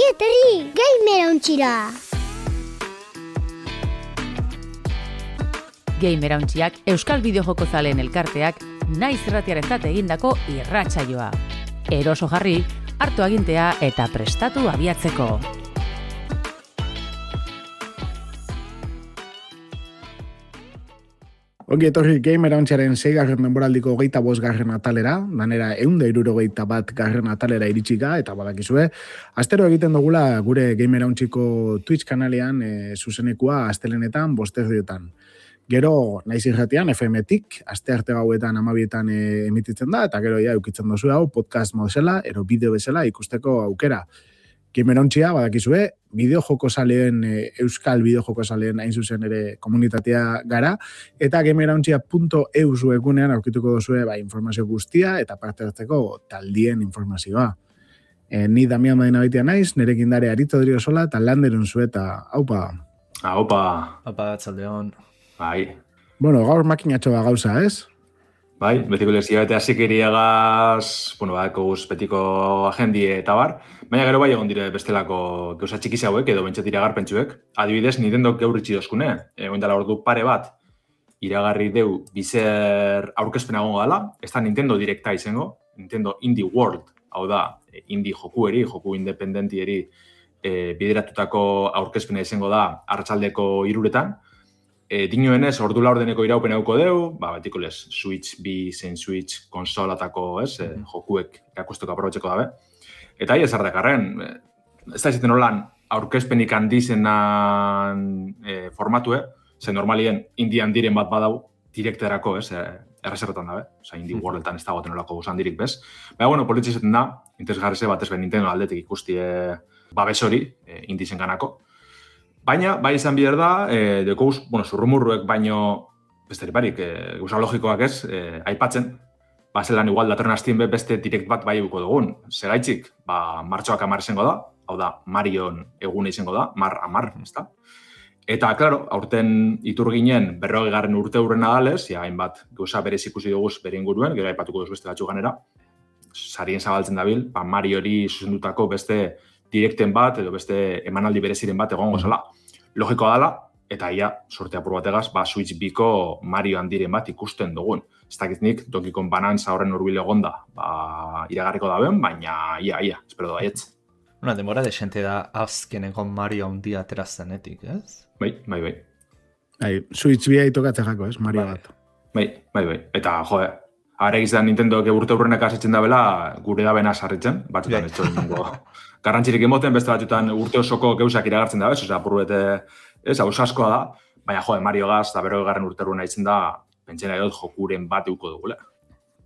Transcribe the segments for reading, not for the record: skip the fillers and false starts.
Ongi etorri, gamerauntxira! Gamerauntxiak Euskal Bideojoko zaleen elkarteak naiz irratiarentzat egindako irratsaioa. Eroso jarri, hartu agintea eta prestatu abiatzeko. Ongi etorri Gamerauntxaren 6. denboraldiko 25. atalera, danera 161. atalera iritsika, eta badakizue, astero egiten dugula gure Gamerauntxiko Twitch kanalean zuzenekua astelenetan, 5:00. Gero, naiz irratian, FM-tik, astearte gauetan 12:00 emititzen da, eta gero ja eukitzen dozu hau podcast modela, ero bideo bezala ikusteko aukera. Gamerauntxia, badakizue, bideojoko zaleen, euskal bideojoko zaleen hain zuzen ere komunitatea gara, eta gamerauntxia.eus webgunean aurkituko duzue informazio guztia eta parte hartzeko taldien informazioa. Ni Damian Madinabaitia naiz, nerekin dare Aritz Odriozola eta Landerun zueta. Haupa! Haupa! Haupa, txaldeon. Bai. Bueno, gaur makinatxo da gauza, ez? Bai, betiko lezia eta zikiriagaz, guz betiko agendie eta bar, baina gero bai egon dire bestelako gauza txikiz hauek edo bentsat iragarpentsuek. Adibidez, Nintendo geuritzi dozkune, egon dela ordu pare bat, iragarri deu bizer aurkezpena gongo dela, ez da Nintendo Directa izango, Nintendo Indie World, hau da, indie joku independentieri bideratutako aurkezpena izango da arratsaldeko 3:00, Dinoenez, ordu laurdeneko iraupen hauko deu, betiko lez, Switch B zein Switch konsolatako, jokuek irakusteko aprobetxeko dabe. Eta hi ezardakarren, ez da izaten holan aurkezpenik handizenan formatue, ze normalien indian diren bat badau direkterako, erreserretan dabe, indie worldetan ez dagoetan olako guzan dirik bez. Baina, politxe izaten da, interesgarrize batez ben Nintendo aldetik ikustie babes hori, indizen ganako. Baina, bai izan bihar da, dekoz, zurrumurruek baino, besterik barik, gauza logikoak ez, aipatzen, zelan igual datorren hastien beste direkt bat bai eguko dugun. Segaitzik, martxoak 10 izango da, hau da, Marion egune izango da, 10, ez da? Eta, klaro, aurten iturginen 40. urte hurrena dalez, hainbat gauza berez ikusi duguz bere inguruen, gero aipatuko duz beste batzu ganera, sarien zabaltzen dabil, Mariori zuzendutako beste direkten bat, edo beste emanaldi bereziren bat egongo zela. Logikoa dela, eta ia, sorte apur bategaz, Switch Biko Mario handiren bat ikusten dugun. Ez dakiznik, Donkey Kong Banantza horren urbile egonda, iragarriko daben, baina ia, espero da aietz. Demora desente da azkeneko Mario handia aterazenetik, ez? Bai. Switch bia itokatzen jako, ez? Mario bat. Bai. Eta, aregiz da Nintendo urte hurrenak asetzen dabela, gure da bena sarritzen, batzutan ez txoringo. Garrantzirik emoten, beste batzutan urte osoko geuzak iragartzen da, ez? Apurbete, askoa da, baina Mario gaz, da 40. urte hurrena itzen da, pentsena edot jokuren bat euko dugula.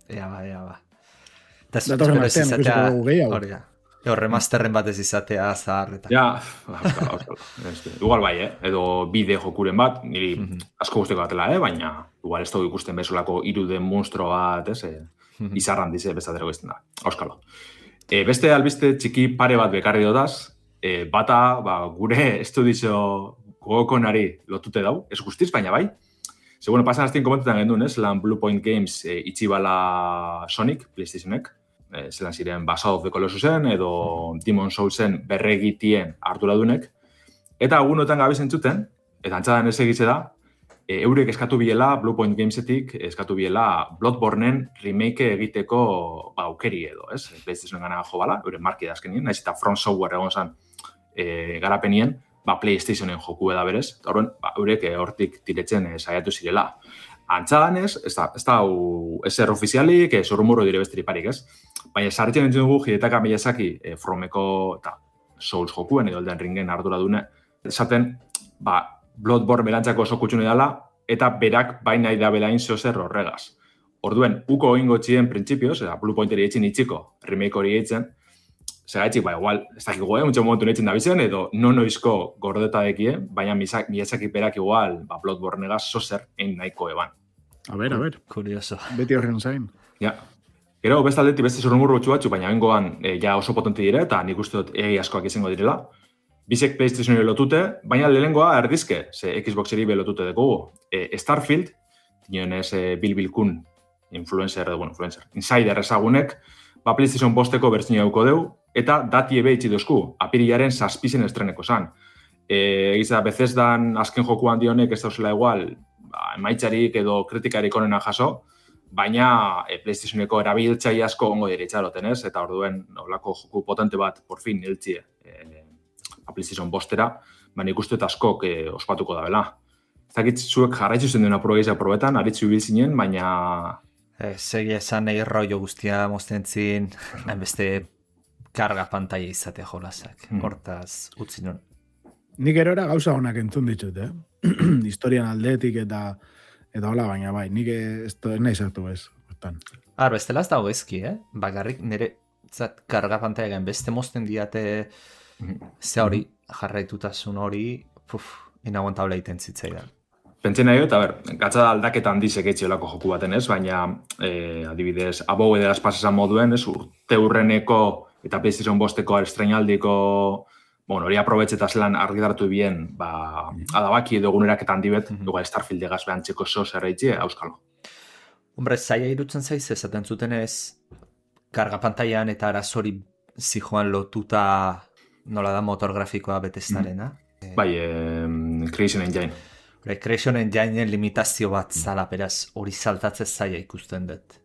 Ea ba. Datorren artean, ikusiko dugu gehiago. Remasterren batez izatea zahar. Ja, igual bai, edo bide jokuren bat, niri asko guzteko batela, baina igual ez dugu ikusten bezolako iruden monstro bat, izarran dize bezatero gizten da, auskalo. Beste albiste txiki pare bat bekarri dodaz, bata gure estudizio gogokonari lotute dau, ez guztiz, baina bai. Pasan aztien komentetan gendun, zelan Blue Point Games itxibala Sonic, PlayStationek, zelan ziren Shadow of the Colossusen edo Demon Soulsen berregitien arduradunek, eta agunotan gabe zentzuten, eta antzadan ez egitze da, eurek eskatu biela, Blue Point Gamesetik eskatu biela Bloodborneen remake egiteko aukeri edo, ez? PlayStationen gana jo bala, euren marki da azkenien, naiz eta From Software egon zan garapenien, PlayStationen joku eda berez, eta horren, eurek hortik tiretzen saiatu zirela. Antzadan ez da ezer ofizialik, zorrumurro dire bestiriparik, ez? Baina sarritzen entzun dugu Hidetaka Miyazaki Fromeko eta Souls jokuen edo Elden Ringen ardura dune, esaten, Bloodborne berantzako oso kutxune dela, eta berak baina idabela inzozer horregaz. Orduen, uko oingo txien printzipioz, Blue Pointeri etxin itxiko, remake hori etxen, segaitzik, igual, ez dakiko, muntxo momentu etxen da bizen, edo noizko gordeta dekie, baina Miyazaki berak igual, Bloodborne-egaz zozer egin nahiko eban. A ver. Kurioso. Beti horren zain. Ja. Gero, beste aldetik beste zorrumurru batzu, baina bengoan ja oso potente dire, eta nik uste dut askoak izango direla. Bizek PlayStationeri lotute, baina lehenengoa erdizke, ze Xboxeri lotute dugu. Starfield, dionez Bill Kun, influencer, insider ezagunek, PlayStation 5-eko bertzina duko deu, eta dati ebe itxi dozku, apirilaren 7 estreneko zan. Egiza, Bethesdan azken joku handi honek ez dauzela igual, emaitzarik edo kritikarik onena jaso, baina PlayStationeko erabiltzaile asko ongo diritxaroten ez, eta orduen olako joku potente bat por fin heltzie PlayStation bostera, baina ikustu eta askok ospatuko da bela. Zakit zuek jarraitzu zen duen probetan, aritzu ibil zinen, baina... Segia esan nahi rollo guztia moztentzin, beste karga pantaia izate jolasak, hortaz utzi non. Nik erora gauza honak entzun ditut, historian aldetik eta hola, baina bai, nik ez nahi zartu ez. Bestela ez dago ezki, bakarrik nire karga pantaia beste mozten diate ze hori, jarraitutasun hori, inaguantable egiten zitzaidan. Pentsen nahi, eta gatza da aldaketa handizek etxiolako joku baten ez, baina adibidez, abogue de las pasesan moduen, urte hurreneko eta PlayStation bosteko estrenaldiko hori aprobetxetaz lan argidartu bien, adabaki edo eguneraketa handi bet, Starfield egaz behantzeko zo zerreitzi, auskalo. Hombre, zaila irutzen zaiz, esaten zuten ez, karga pantailan eta arazori zijoan lotuta nola da motor grafikoa Bethesdarena. Bai, Creation Engine. Creation Engine limitazio bat zala, beraz, hori saltatzez zaila ikusten dut.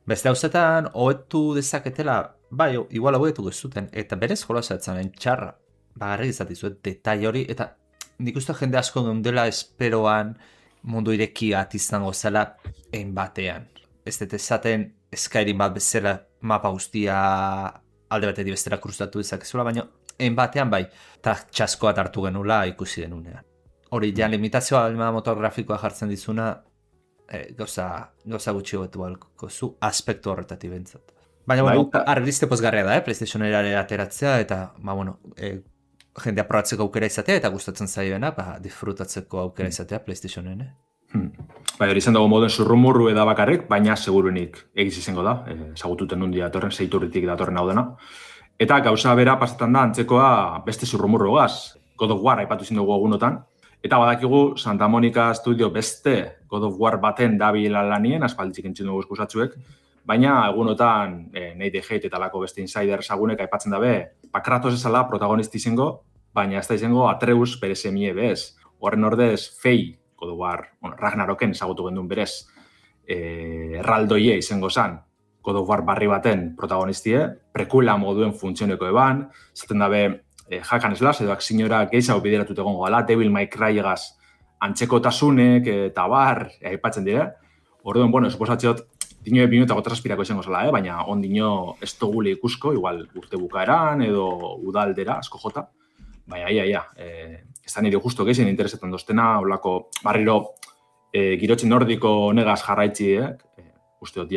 Beste hauzetan, hoetu dezaketela, bai, igual hoetu gezuten, eta berez jolazatzen txarra, bagarrik izatizuet, detai hori, eta nik uste jende asko geundela esperoan mundu irekiat izango zela ein batean. Ez dut esaten Skyrim bat bezala mapa guztia alde batetik bestera kruzatu dezakezula, baina ein batean bai, eta txaskoa hartu genula ikusi denunean. Hori, ja, limitazioa motor grafikoa jartzen dizuna, gauza gutxi hobetu balko zu aspektu horretatik bentzat. Baina, argizte pozgarria da, PlayStation-era ateratzea, eta, jendea probatzeko aukera izatea, eta gustatzen zaioena, disfrutatzeko aukera izatea PlayStation-en. Hori izan dago moden zurrumurru eda bakarrik, baina segurunik egiz izango da, zagututen nundi datorren, zeiturritik datorren hau dena. Eta gauza bera pasetan da antzekoa beste zurrumurru gaz, God of War aipatu izin dugu egunotan, eta badakigu Santa Monica Studio beste God of War baten dabila lanien, aspalditzik entzun dugu eskusatzuek, baina egunotan Nate Hate eta lako beste insider sagunek aipatzen dabe, Kratos esala protagonisti izango, baina ez da izango Atreus bere semie bez. Horren ordez, Fei, God of War, Ragnaroken ezagutu gendun berez, erraldoie izango zan, God of War barri baten protagonistie, prekula moduen funtzioneko eban, zaten dabe, Hakan Slash edo aksinora gehiago bideratut egongo gala, Devil May Cry egaz antzekotasunek eta bar aipatzen dira. Orduan, suposatziot, dino ebinu eta gotraspirako izango zela, baina ondino ez dugule ikusko, igual urte bukaeran edo udaldera, asko jota. Baina, ez da nire justo gehizien interesetan doztena, olako barriro girotxin nordiko negaz jarraitzi, uste dut,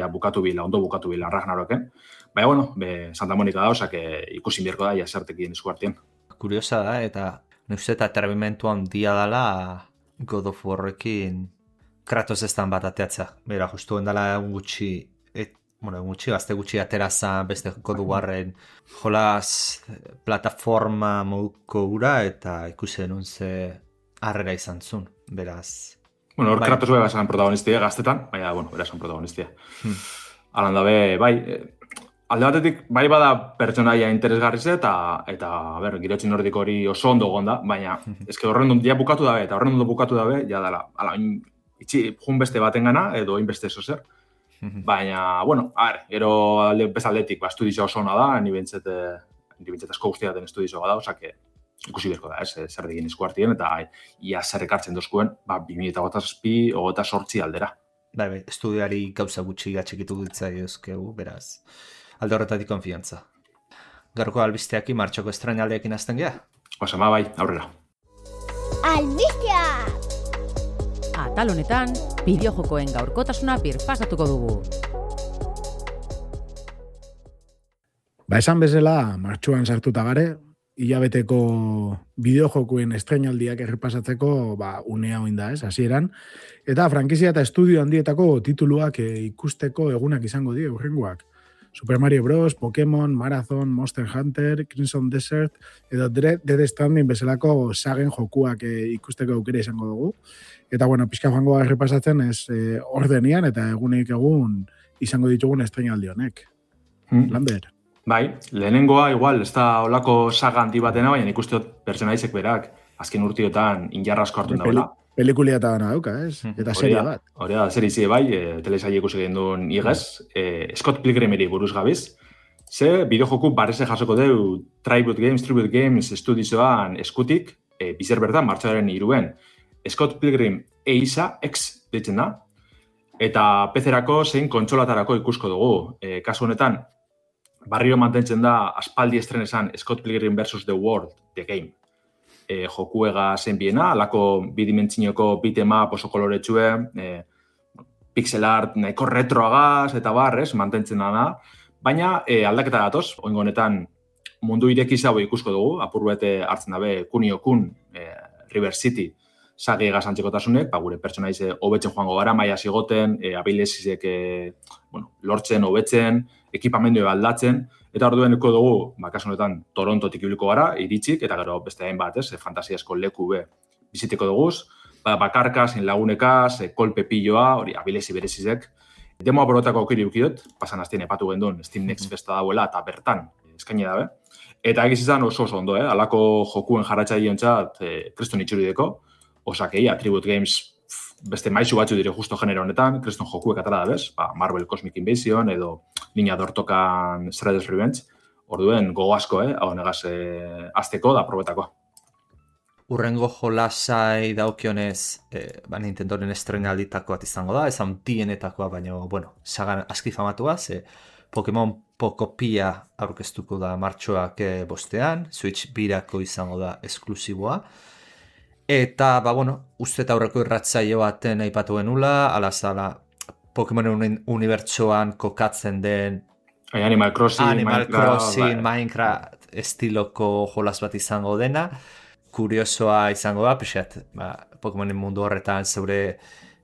ondo bukatu bila Ragnaroken. Baina, Santa Monica da, osak ikusin bierko da, zertekin esku artien. Kuriosa da, eta nuzet aterbimentu handia dela God of Warrekin Kratos estan bat ateatza. Bera, justu endala gutxi, gazte gutxi aterazan beste God of Warren jolaz plataforma moduko gura, eta ikusi denun ze harrera izan zun, beraz. Hor Kratos bera esan protagonistia gaztetan, baina, bera esan protagonistia. Alan dabe, bai, alde batetik, bai bada pertsonaia interesgarriz eta girotxin nordiko hori oso ondo gonda, baina eske horren ja bukatu dabe, eta horren ondo bukatu dabe, ja dala, itxi jun beste baten gana, edo inbeste zozer. Baina, gero bezaldetik, estudizioa oso ona da, ni bentzet asko guztia den estudizioa da, osak ikusi berko da, zer digin esku hartien, eta ia zer ekartzen dozkuen, 2008 aldera. Bai, estudiari gauza gutxi gatxikitu ditzai euskegu, beraz, alde horretatik konfiantza. Gaurko albisteaki martxoko estrainaldeekin azten gea? Osama, bai, aurrera. Albistea! Atal honetan, bideojokoen gaurkotasuna birpasatuko dugu. Esan bezala, martxuan sartuta gare, hilabeteko bideojokoen estrainaldiak errepasatzeko unea oinda hasieran. Eta frankizia eta estudio handietako tituluak ikusteko egunak izango die urrengoak. Super Mario Bros, Pokémon, Marathon, Monster Hunter, Crimson Desert, edo Death Stranding bezalako sagen jokuak ikusteko aukera izango dugu. Eta, pixka joango errepasatzen ez ordenian eta egunik egun izango ditugun estrainaldi honek. Lander? Bai, lehenengoa igual, ez da olako saga handi batena, baina ikuste dut pertsonaizek berak, azken urtiotan injarra asko hartu dagoela. Pelikulia eta dana dauka, ez? Eta serie bat. Hori da, serie zi bai, telesaile ikusi egin duen igez, Scott Pilgrimeri buruz gabiz, ze bideojoku barreze jasoko deu Tribute Games estudioan eskutik, bizer bertan, martxoaren 3 Scott Pilgrim EISA X ditzen da, eta PC-erako zein kontsolatarako ikusko dugu. Kasu honetan, barriro mantentzen da aspaldi estrenesan Scott Pilgrim vs. The World, The Game. Jokuega zen biena, alako bidimentzinoko beat'em-up oso koloretsue, pixel art nahiko retroagaz eta barrez, mantentzen da. Baina aldaketa datoz, oingo honetan mundu irekizago ikusko dugu, apurbete hartzen dabe Kunio-kun, River City, sagi egaz antzekotasunek, gure pertsonaize hobetzen joango gara, maia zigoten, abilesizek lortzen, hobetzen, ekipamendu aldatzen, eta ordueneko dugu, kasu honetan Torontotik ibiliko gara, iritsik, eta gero beste hainbat, fantasiasko leku biziteko duguz, bakarka, zein lagunekaz, kolpe pilloa, hori abilesi berezizek. Demoa borotako aukeri ukidot, pasan hastien epatu gendun Steam Next Festa dauela, eta bertan eskaini dabe. Eta egiz izan oso ondo, alako jokuen jarratzaileentzat kriston itxurideko, osakei, Tribute Games beste maizu batzu dire justo genero honetan, kriston jokuek atara da bez, Marvel Cosmic Invasion edo Niña Dortokan Shredder's Revenge, orduen gogo asko, hau negaz azteko da probetako. Urrengo jolasai daukionez, Nintendoren estrenalditako bat izango da, ez handienetakoa, baina, sagan aski famatua, Pokemon Pokopia aurkeztuko da martxoak bostean, Switch birako izango da esklusiboa. Eta, uste eta aurreko irratzaio baten aipatu genula, alazala Pokemonen unibertsoan kokatzen den Animal Crossing, Minecraft estiloko jolas bat izango dena. Kuriosoa izango da, pixat, Pokemonen mundu horretan zeure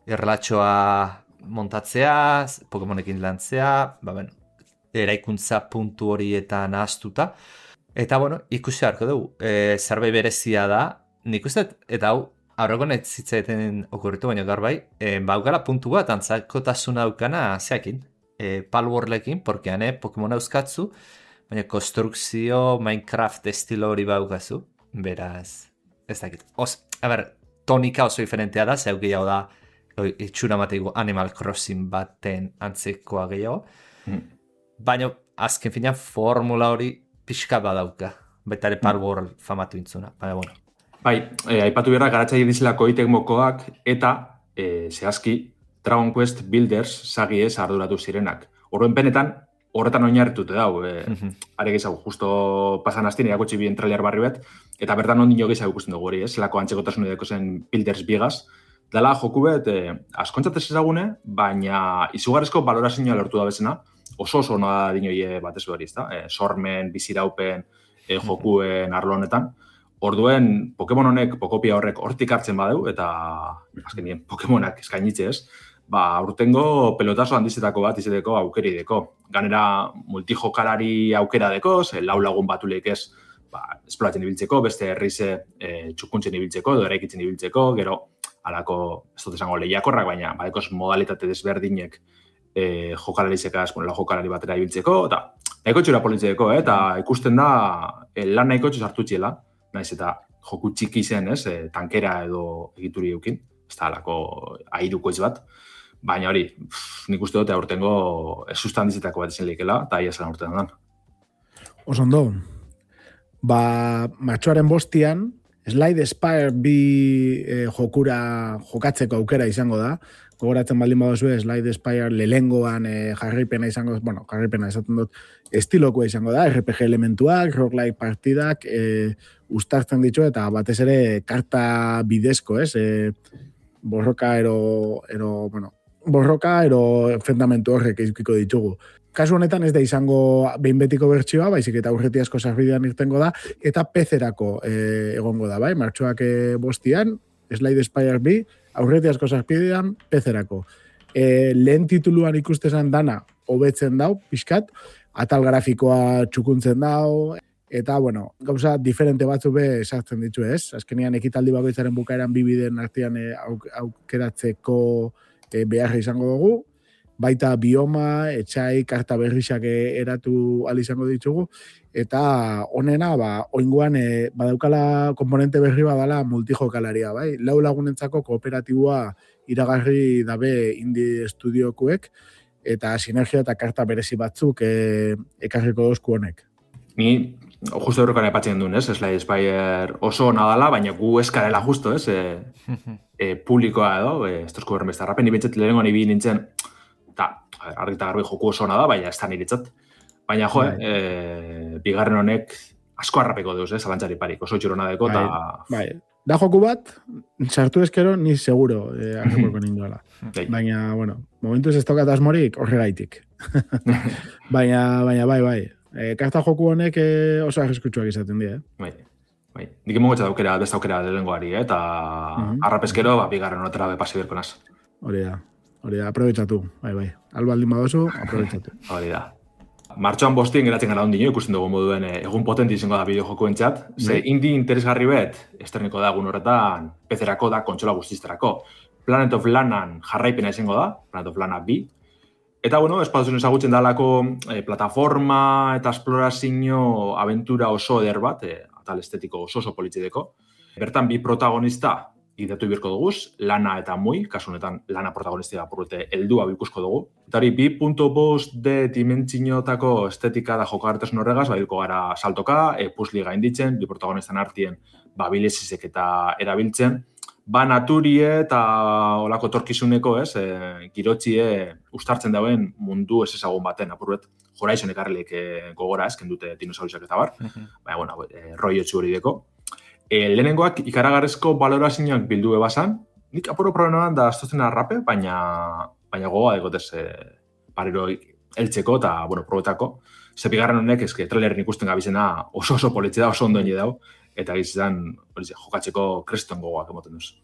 erlatxoa montatzea, Pokemonekin lantzea, eraikuntza puntu horietan ahaztuta. Eta, ikusi harko dugu, zerbait berezia da, nik uste, eta hau, aurreko netzitzaeten okurritu, baina gaur bai, baukala puntu bat, antzakotasuna daukana zeakin, Palworlekin, porque hane Pokemon euskatzu, baina konstrukzio Minecraft estilo hori baukazu, beraz, ez dakit. Tonika oso diferentea da, zeu gehiago da, itxura mateigo Animal Crossing baten antzekoa gehiago, baina azken finean formula hori pixka badauka, betare Palworld famatu intzuna, baina Bai, aipatu behar garatzaile dizelako itekmokoak eta zehazki Dragon Quest Builders sagiez arduratu zirenak. Horren penetan, horretan oinarritute dau. Are gehiago, justo pasan hastien erakutsi bien trailer barri bat, eta bertan ondino gehiago ikusten dugu hori, zelako antzekotasun edeko zen Builders bigaz. Dala joku bet, askontzatez ezagune, baina izugarrizko balorazioa lortu da bezena, oso ona dinoi batez hori, ezta? Sormen, biziraupen, jokuen arlo honetan. Orduen, Pokemon honek, Pokopia horrek hortik hartzen badeu, eta azkenien Pokemonak eskainitze ez, urtengo pelotazo handizetako bat izeteko aukeri deko. Ganera multijokalari aukera deko, lau lagun batuleik ez esploratzen ibiltzeko, beste herrize txukuntzen ibiltzeko, edo eraikitzen ibiltzeko, gero, alako, ez dut esango lehiakorrak, baina badekoz modalitate desberdinek jokalarizekaz, lau jokalari batera ibiltzeko, eta nahiko txura politzeko, eta ikusten da lan nahiko txuz hartu txiela, naiz eta joku txiki zen, tankera edo egituri eukin, ez da alako airuko ez bat, baina hori, nik uste dute aurtengo susta handizetako bat izan lehikela, eta aia zelan urtean dan. Osondo, martxoaren bostian, Slide Spire bi jokura jokatzeko aukera izango da, gogoratzen baldin badozue, Slide Spire lehengoan jarraipena izango, jarraipena esaten dut, estilokoa izango da, RPG elementuak, roguelike partidak, uztartzen ditu, eta batez ere karta bidezko, borroka ero enfrentamentu horrek izkiko ditugu. Kasu honetan ez da izango behin betiko bertsioa, baizik eta aurreti asko sarbidean irtengo da, eta PC-erako egongo da, bai? Martxoak bostian, Slide Spire bi, aurreti asko sarbidean PC-erako. Lehen tituluan ikustezan dana hobetzen dau, pixkat, atal grafikoa txukuntzen dau, eta, gauza diferente batzu be sartzen ditu ez. Azkenean ekitaldi bakoitzaren bukaeran bibiden artean aukeratzeko beharra izango dugu, baita bioma, etxai, karta berrixak eratu izango ditugu, eta honena, oingoan badaukala komponente berri badala multijokalaria, bai? 4 lagunentzako kooperatiboa iragarri dabe indie estudiokuek, eta sinergia eta karta berezi batzuk ekarriko dozku honek. Ni justo horrekan aipatzen duen, Slay Spire oso ona dala, baina gu eskarela justo, publikoa edo, estozko berren beste harrapen, nibetxet lehenengo nibi nintzen, eta argi eta garbi joku oso ona da, baina ez da niretzat. Baina bigarren honek asko harrapeko deuz, zalantzari parik, oso txurona deko, eta... Da joku bat, sartu eskero, ni seguro harrapeko ninduela. Baina, bueno, momentuz ez tokat asmorik horregaitik. Baina, bai. Karta joku honek oso arriskutsuak izaten dira, Bai. Nik emongo txat beste aukera lehengoari, eta harrapeskero, bigarren honetara bepasi berko naz. Hori da, aprobetsatu, bai. Albaldin badozu, aprobetsatu. Hori da. Martxoan 5 geratzen gara ondino, ikusten dugu moduen egun potenti izango da bideojokuen txat. Ze indi interesgarri bet, esterniko da egun horretan, PC-erako da, kontsola guztizterako. Planet of Lanaan jarraipena izango da, Planet of Lana 2. Eta, espaduzen ezagutzen dalako plataforma eta esplorazio aventura oso eder bat, atal estetiko oso politzideko. Bertan 2 protagonista idatu birko duguz, Lana eta Mui, kasu honetan Lana protagonistia apurrete heldua ikusko dugu. Eta hori 2.5D dimentsiotako estetika da jokagartasun horregaz, badirko gara saltoka, pusli gainditzen, 2 protagonistan artien bilezizek eta erabiltzen. Naturie eta olako torkizuneko, girotxie ustartzen dauen mundu ez ezagun baten, apurret Horizon ekarrelik gogora kendute dinosauriak eta bar, baina, roi etxu hori deko. Lehenengoak ikaragarrezko balorazioak bildu ebasan, nik apuro probleman da astotzen arrape, baina gogoa dekotez parero eltzeko eta, probetako. Bigarren honek, trailerin ikusten gabizena oso politxe da, oso ondoen dau, eta gizizan jokatzeko kreston gogoak emoten duz.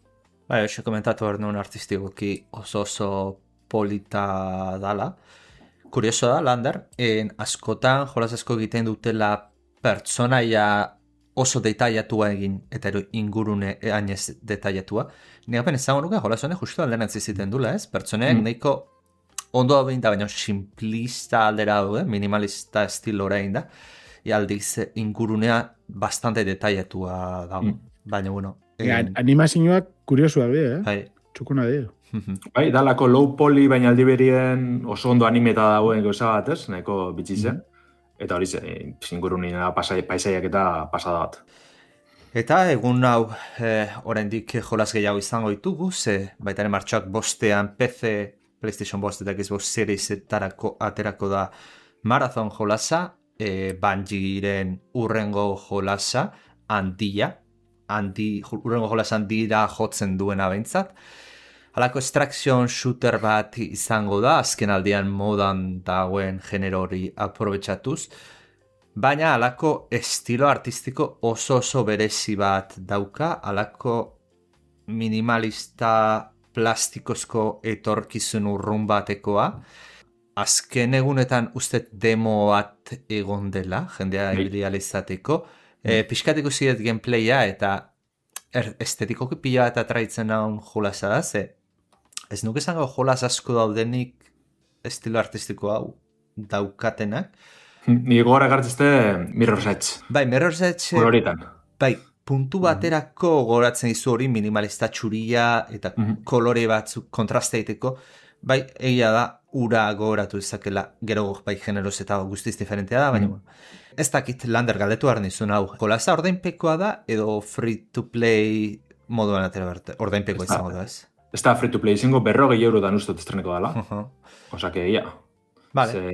Bai, oso komentatu behar nuen artistikoki oso polita dala. Kurioso da, Lander, askotan jolaz asko egiten dutela pertsonaia oso detailatua egin, eta ingurune hainez detailatua. Nik apen ezagun nuke, jolaz honek justu alderantz iziten dula, pertsoneak nahiko ondo da baina simplista aldera daude, minimalista estilora egin da, aldiz ingurunea bastante detailatua dago. Baina, animazioak kuriosuak dira, Bai. Txukuna dira. Bai, dalako low poly, baina aldi berien oso ondo animeta dagoen gauza bat, nahiko bitxi zen. Eta hori ingurunea paisaiak eta pasada bat. Eta egun hau oraindik jolas gehiago izango ditugu, baitaren martxoak 5ean PC, PlayStation 5 eta Xbox Series etarako aterako da Marathon jolasa, Bungieren urrengo jolasa, urrengo jolasa handira jotzen duena behintzat. Halako extraction shooter bat izango da, azken aldian modan dagoen genero hori aprobetxatuz, baina halako estilo artistiko oso berezi bat dauka, halako minimalista plastikozko etorkizun urrun batekoa. Azken egunetan uste demo bat egon dela, jendea ibializateko. Pixkat ikusiet gameplaya eta estetikoki pila eta traitzen naun jolasa da, ez nuke zango jolas asko daudenik estilo artistiko hau daukatenak. Ni gora gartzeste Mirror's Edge. Bai, Mirror's Edge... Koloritan. Bai, puntu baterako goratzen izu hori minimalista txuria eta kolore batzuk kontrasteiteko. Bai, egia da, ura gogoratu izakela, gero bai generoz eta guztiz diferentea da, baina ez dakit Lander galdetu behar nizun hau. Jolasa ordainpekoa da edo free to play moduan atera berte, ordainpekoa izango da ez? Ez da free to play izango 40 euro dan ustot estreneko dala. Osa que, ja. Vale.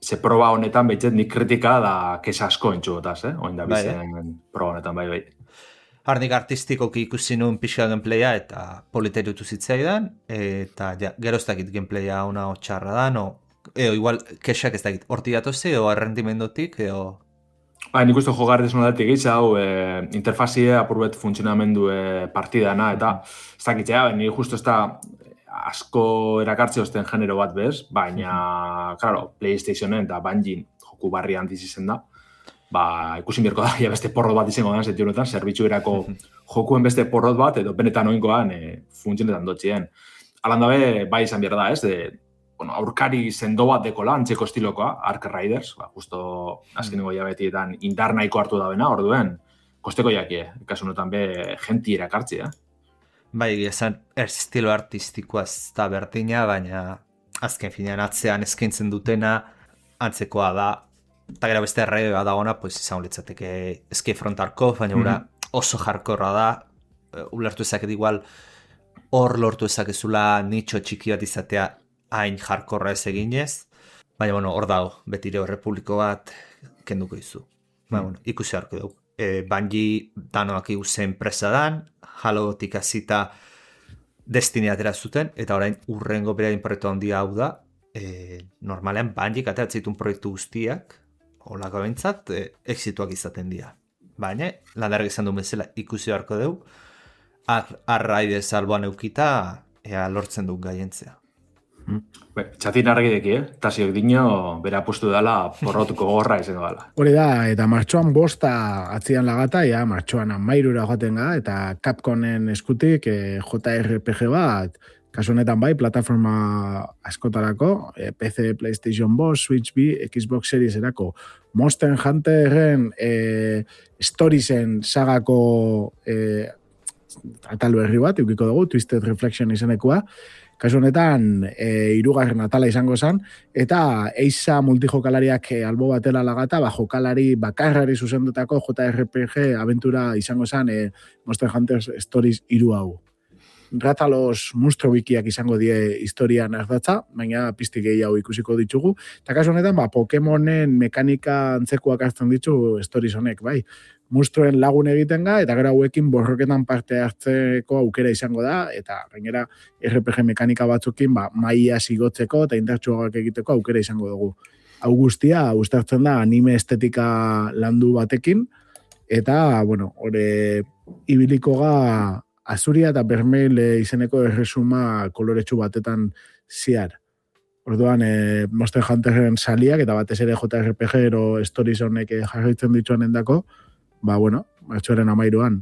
Ze proba honetan behitzet nik kritika da kesa asko entxugotaz, Oin da bizen proba honetan, bai. Harnik artistikoki ikusi nuen pixka gameplaya eta politerutu zitzaidan, eta gero ez dakit gameplaya ona txarra da, igual kesak ez dakit horti datoze, o errendimendotik, Nik uste jogarretez noldatik gitza, interfazia apurbet funtzionamendu partidana, eta ez dakitzea, ni justo ez da asko erakartze osten genero bat bez, baina, claro, PlayStationen eta Bungien joku barri handiz izen da, ikusin birko da, beste porrot bat izango da, zetiu honetan, zerbitzuerako jokuen beste porrot bat, edo benetan oinkoan funtzionetan dotxien. Alan dabe, bai izan behar da, aurkari sendo bat dekola, antzeko estilokoa, Ark Riders, justo azkeneko jabetietan indar nahiko hartu da bena, orduen, kosteko jakie, kasu honetan be genti erakartzi, Bai, esan estilo artistikoa ez da berdina, baina azken finean atzean eskaintzen dutena antzekoa da, eta gero beste errege bat dagona, pues izan litzateke Escape from Tarkov, baina oso jarkorra da, ulertu ezaket igual, hor lortu ezakezula nitxo txiki bat izatea hain jarkorra ez eginez, baina hor dago, betire Republiko bat kenduko izu. Baina, ikusi harko dugu. Bungie danoak iguzen presa dan, Halotik hasita Destiny atera zuten, eta orain urrengo berain proiektu handia hau da, normalean Bungie ateratzitun proiektu guztiak, holako behintzat, exituak izaten dira. Baina, landarrak izan duen bezala ikusi harko dugu, Riders alboan eukita, ea lortzen dut gaientzea. Txatin argideki, tasiok dino, bera apustu dela porrotuko gorra izango dela. Hori da, eta martxoan 5 atzian lagata, ja, martxoan 13 joaten ga, eta Capcomen eskutik JRPG bat, kasu honetan bai, plataforma askotarako, PC, PlayStation 5, Switch B, Xbox Series erako, Monster Hunterren Storiesen sagako atal berri bat, eukiko dugu, Twisted Reflection izanekoa, kasu honetan, 3. atala izango zen, eta eiza multijokalariak albo batela lagata, jokalari bakarrari zuzendutako JRPG aventura izango zen Monster Hunter Stories 3 hau. Ratalos monstro bikiak izango die historian ardatza, baina piztik gehiago ikusiko ditugu. Eta kasu honetan, Pokemonen mekanika antzekoak hartzen ditu Stories honek, bai. Monstruen lagun egiten ga, eta gero hauekin borroketan parte hartzeko aukera izango da, eta gainera RPG mekanika batzukin maia zigotzeko eta indartsuagak egiteko aukera izango dugu. Hau guztia, uztartzen da anime estetika landu batekin, eta, hori ibiliko ga Azuria eta Bermeil izeneko erresuma koloretsu batetan ziar. Orduan, Monster Hunterren saliak, eta batez ere JRPG ero Stories honek jarraitzen dituan endako, martxoaren 13an.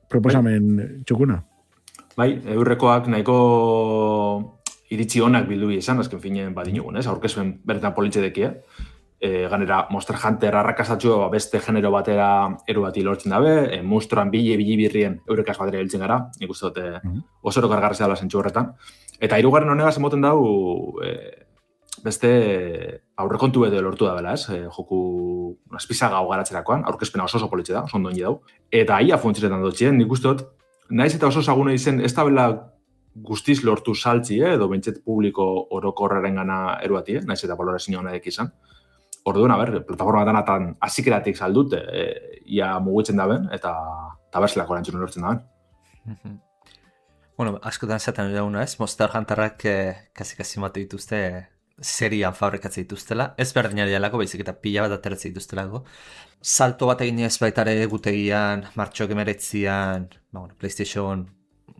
Proposamen txukuna. Bai, eurrekoak nahiko iritzi honak bildu izan, azken finen badinugun, aurkezuen bertan politxedekia. Ganera, Monster Hunter arrakastatxo beste genero batera eru bati lortzen dabe, monstruan bili birrien eurekaz batera hiltzen gara, nik uste dute osoro kargarrezea dela zentsu horretan. Eta 3. honegaz emoten dau beste aurrekontu edo lortu da bela, joku azpizaga hau garatzerakoan, aurkezpena oso politxe da, oso ondoni dau. Eta ia funtziretan dutxien, nik uste dut, naiz eta oso zagune izen, ez da bela guztiz lortu saltzi, edo bentset publiko orokorraren gana eru bati, naiz eta valorazio honek izan. Orduan, plataforma danatan azikeratik saldute, ia mugitzen daben, eta berzelako erantzun lortzen daben. Askotan zaten dauna ez, Monster Hunterrak kasi mate dituzte serian fabrikatzen dituztela, ez berdinari alako, baizik eta pila bat ateratzen dituztelako. Salto bat egin ez baitare gutegian, martxok 19an, PlayStation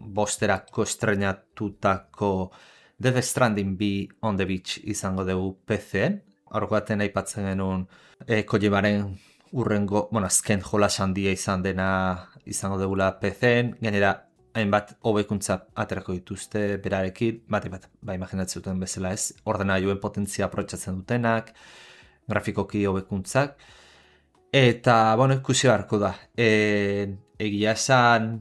5erako estrenatutako Death Stranding 2 on the Beach izango dugu PC-en, horreko baten aipatzen genuen Kojimaren urrengo, azken jolas handia izan dena izango dugula PC-en, gainera hainbat hobekuntza aterako dituzte berarekin, bat, imaginatzen duten bezala ez, ordenailuen potentzia aprotsatzen dutenak, grafikoki hobekuntzak, eta, ikusi beharko da. Egia esan,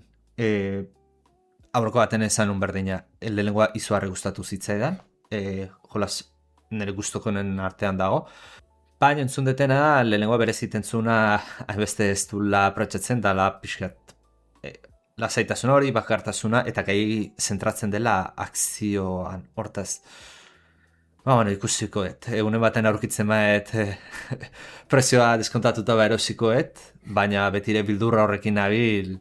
aurreko baten esan berdina, lehenengoa izugarri gustatu zitzaidan, jolas nire gustokonen artean dago, baina entzun detena da, lehenengoa bereziten zuna, hainbeste ez duela aprotsatzen dela pixkat, lasaitasun hori, bakartasuna, eta gai zentratzen dela akzioan, hortaz. Ikusikoet, egunen baten aurkitzen baet prezioa deskontatuta erosikoet, baina betire bildurra horrekin nabil,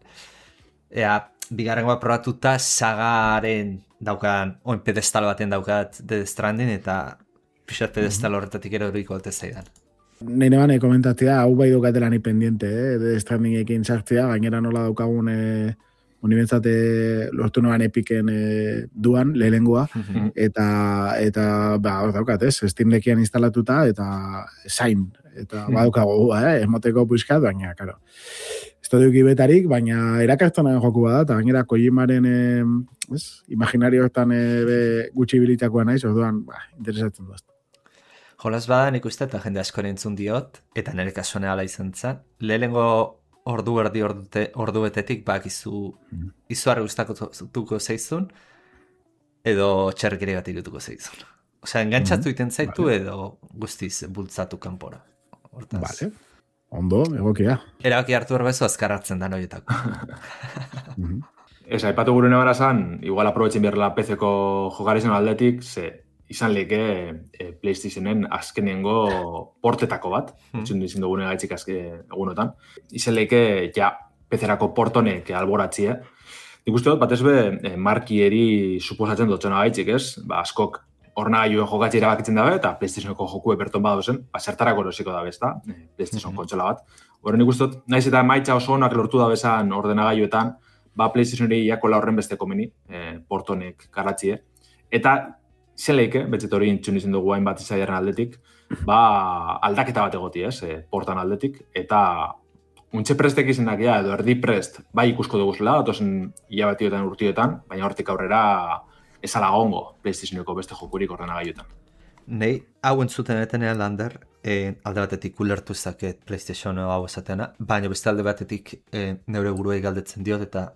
bigarrengoa probatuta sagaren daukan, pedestal baten daukat Death Stranding, eta pixat pedestal horretatik ero horiko alte zaidan. Nire bane komentatzea, hau bai dukatela ni pendiente, Death Strandingekin sartzea, gainera nola daukagun unibentzate lortu noan epiken duan, lehengoa, eta hor daukat, Steam Deckian instalatuta, eta zain, eta badaukagu, emoteko puiskat, baina, karo, estudio betarik, baina erakartzenaren joku bada, eta gainera Kojimaren imaginarioetan gutxi bilitakoa naiz, orduan, interesatzen dut. Jolas bada nik uste eta jende asko entzun diot, eta nire kasuan ala izan zen. Lehenengo ordu betetik izuarri gustatuko zeizun, edo txerkeri bat irutuko zeizun. Osea, engantzatu iten zaitu edo guztiz bultzatu kanpora. Hortaz. Vale. Ondo, egokia. Erabaki hartu erbezu azkarratzen da noietako. Ez, aipatu gure nebara zan, igual aprobetzen beharrela PC-ko jokarizan aldetik, ze izan leke PlayStationen azkenengo portetako bat, etxun dizin dugune gaitzik egunotan. Izan leke, ja, PC-erako portonek alboratzie. Nik uste dut, batez be, markieri suposatzen dutzena gaitzik, ez? Askok ordenagailuen jokatzi erabakitzen dabe, eta PlayStationeko jokue berton badozen, zertarako erosiko dabe, ezta? PlayStation kontsola bat. Horren nik uste dut, naiz eta emaitza oso onak lortu dabezan ordenagailuetan, Playstationeri jakola horren beste komeni, portonek garatzie. Eta zeleike, betzet hori intxun izan dugu hainbat izaiaren aldetik, aldaketa bat egoti, ez, portan aldetik, eta untxe prestek izenak edo erdi prest, bai ikusko duguzela, datozen hilabatioetan urtioetan, baina hortik aurrera ezala gongo PlayStationeko beste jokurik ordenagailuetan. Nei, hau entzuten etenean lander, alde batetik ulertu zaket PlayStation hau esatena, baina beste alde batetik neure buruei galdetzen diot, eta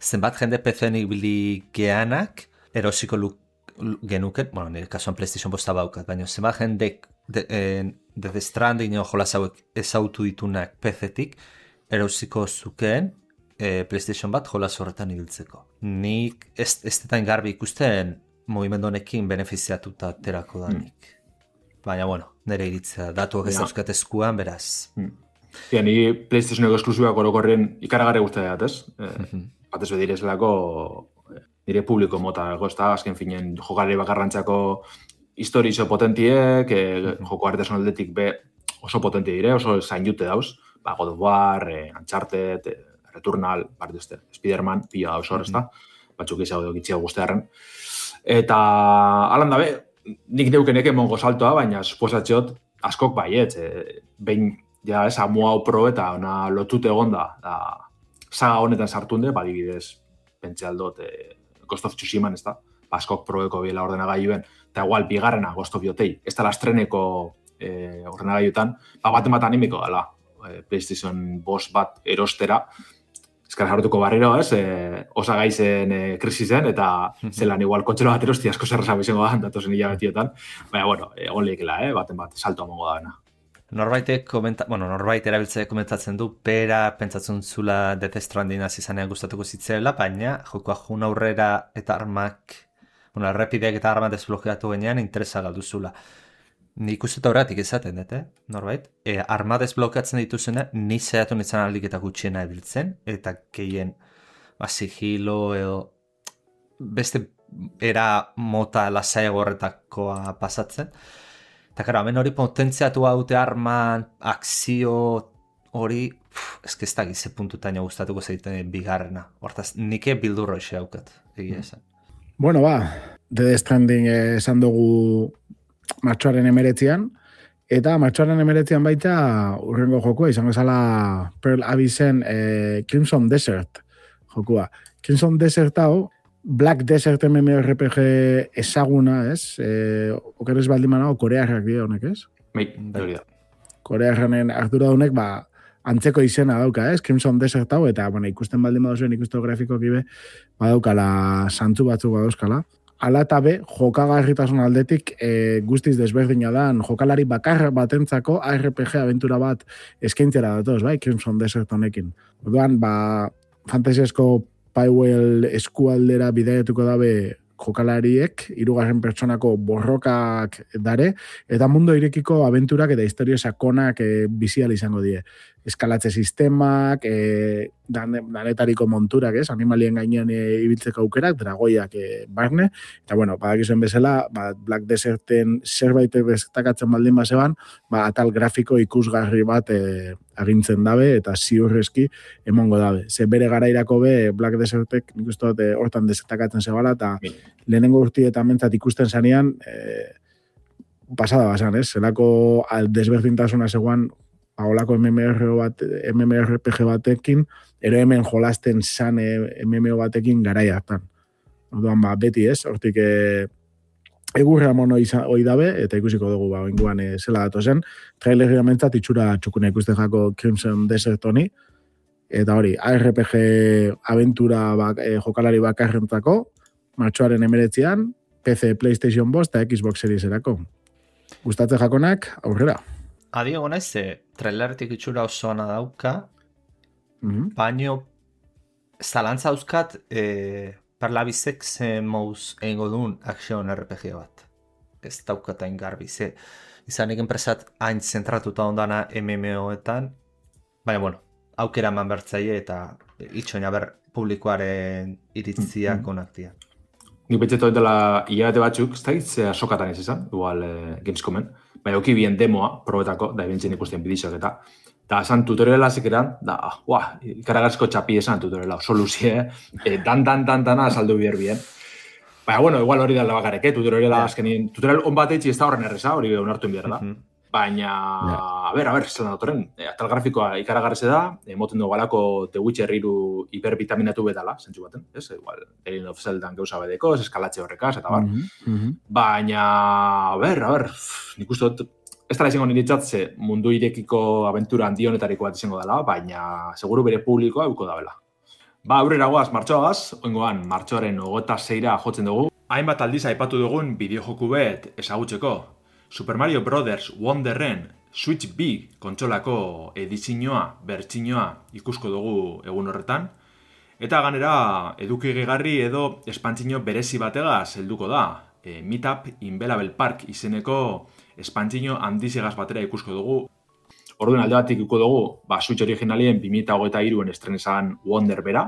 zenbat jende PC-enik bili geanak, erosiko genuken, bueno, nire kasuan PlayStation bosta baukat, baina zenbat jendek Death Stranding jolas hauek ezautu ditunak PC-tik, erosiko zukeen PlayStation bat jolas horretan ibiltzeko. Nik ez detain garbi ikusten mugimendu honekin benefiziatuta aterako danik. Baina, bueno, nire iritzea datuak ez dauzkat eskuan, beraz. Ja, ni PlayStationeko esklusiboak orokorren ikaragarri guztia dat, ez? Batez bedirezlako nire publiko mota, ez da, azken finen jokalari bakarrantzako historizo potentiek, joko artesan aldetik oso potentie dire, oso zain jute dauz, God of War, Uncharted, Returnal, Spider-Man, pila dauz hor, ez da, batzuk izan gitxia guztearen. Eta, alan dabe, nik neukenek emongo saltoa, baina suposatxeot, askok baiet, behin, ja, ez, amu hau pro eta ona lotute egonda, saga honetan sartunde, badibidez, pentsa aldot, Ghost of Tsushiman, ez da, askok proeko biela ordenagailuen, eta igual, bigarrena Ghost of Yotei, ez da lastreneko ordenagailuetan, bat animiko dela, PlayStation boss bat erostera, eskara jartuko barriro, ez, osagaizen krisisen, eta zelan igual kontxelo bat erosti asko zerrasa bizango da, datozen hilabetiotan, baina, bueno, egon lehikela, baten bat, salto amongo da bena. Norbait erabiltzaile komentatzen du, pera pentsatzen zula Death Stranding izanean gustatuko zitzela, baina jokoa jun aurrera eta armak, errepideak eta armak desblokeatu genean interesa galduzula. Nik uste horretik izaten, norbait? Arma desblokeatzen dituzena, ni zehatu nintzen aldik eta gutxiena ebiltzen, eta gehien sigilo edo beste era mota lasaiago horretakoa pasatzen. Eta karo, hemen hori potentziatu haute arman, akzio hori, ez da gize puntutaino gustatuko zaiten bigarrena. Hortaz, nike bildurro ise haukat, egia esan. Bueno, Death Stranding esan dugu martxoaren 19an, eta martxoaren 19an baita urrengo jokua, izango zala Pearl Abyssen Crimson Desert jokua. Crimson Desert hau, Black Desert MMORPG ezaguna, ez? Okeres baldin manao, korearrak dira honek, ez? Hori da. Korearranen ardura honek, antzeko izena dauka, ez? Crimson Desert hau, eta ikusten baldin baduzuen ikusten grafikoak ibe, badaukala santzu batzuk badauzkala. Ala eta jokagarritasun aldetik guztiz desberdina da, jokalari bakarra batentzako RPG aventura bat eskaintzera datoz, bai? Crimson Desert honekin. Orduan, fantasiasko Paiwell eskualdera bidaiatuko dabe jokalariek, 3. pertsonako borrokak dare, eta mundo irekiko abenturak eta historia sakonak bizial izango die. Eskalatze sistemak, danetariko monturak, ez? Animalien gainean ibiltzeko aukerak, dragoiak barne, eta bueno, badakizuen bezala, Black Deserten zerbait bestakatzen baldin bazeban, atal grafiko ikusgarri bat agintzen dabe, eta ziurrezki emongo dabe. Ze bere garairako Black Desertek, nik uste dut hortan destakatzen zebala, eta lehenengo urtietan mentzat ikusten zanean, pasada basan, ez? Zelako desberdintasuna zegoan olako MMORPG batekin, ero hemen jolasten zan MMO batekin garai hartan. Orduan, beti ez, hortik egurra mono hoi dabe, eta ikusiko dugu, inguan zela datozen, trailerri amentzat itxura txukuna ikusten jako Crimson Desert honi, eta hori, ARPG aventura jokalari bakarrentzako, martxoaren 19an, PC, PlayStation 5 eta Xbox Series erako. Gustatzen jakonak, aurrera. Adio gonez, trailertik itxura oso ona dauka, baino zalantza euskat parlabizek ze mouz egingo duen action RPG bat. Ez daukatain garbi, izanik enpresat hain zentratuta ondana MMO-etan, baina, bueno, aukera eman bertzaile eta itxoina publikoaren iritziak onaktia. Nik betxeto dela hilabete batzuk, ez da gitzea sokatan ez izan, igual Gamescomen, baina oki bien demoa, probetako, da ebentzen ikusten bidizok eta esan tutoriala zekeran, ikaragarrizko txapi esan tutoriala, oso luzie, dana azaldu bier bien. Baina, bueno, igual hori dala bakarek, tutoriala azkenien, tutorial on bat eitzi ez da horren erreza, hori onartu bier da. Baina, a ber, zelan datorren, atal grafikoa ikaragarrize da, moten dugu alako The Witcher 3 hipervitaminatu betala, zentzu baten, ez? Igual, Legend of Zeldan gauza bedeko, eskalatxe horrekaz, eta bar. Baina, a ber, nik uste dut, ez dara izango niritzatze mundu irekiko aventura handi honetariko bat izango dela, baina seguru bere publikoa euko dabela. Aurrera goaz, martxoagaz, oingoan, martxoaren 26ra jotzen dugu. Hainbat aldiz aipatu dugun bideojoku bet ezagutzeko. Super Mario Brothers Wonderren Switch B kontsolako edizioa, bertsinoa ikusko dugu egun horretan. Eta ganera, eduki gehigarri edo espantzino berezi bategaz helduko da. Meetup in Bellable Park izeneko espantzino handizegaz batera ikusko dugu. Orduan alde batik ikuko dugu, Switch originalien 2023an estrenezan Wonder bera.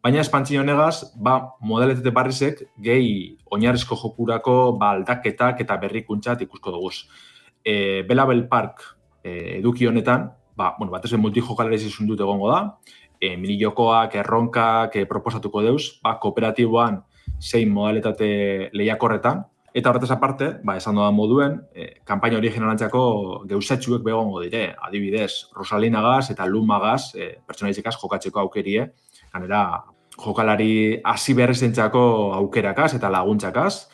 Baina espantzino negaz, modeletete barrizek gehi oinarrizko jokurako aldaketak eta berrikuntzat ikusko duguz. Bellable Park eduki honetan, batez multijokalarez izun dut egongo da, mini-jokoak, erronkak proposatuko deuz, kooperatiboan 6 modalitate lehiakorretan, eta horretaz aparte, esan dodan moduen, kanpaina originalantzako geusatxuek begongo dire, adibidez, Rosalinagaz eta Lumagaz, pertsonalizikaz jokatzeko aukerie, ganera, jokalari hasi berrezentzako aukerakaz eta laguntzakaz,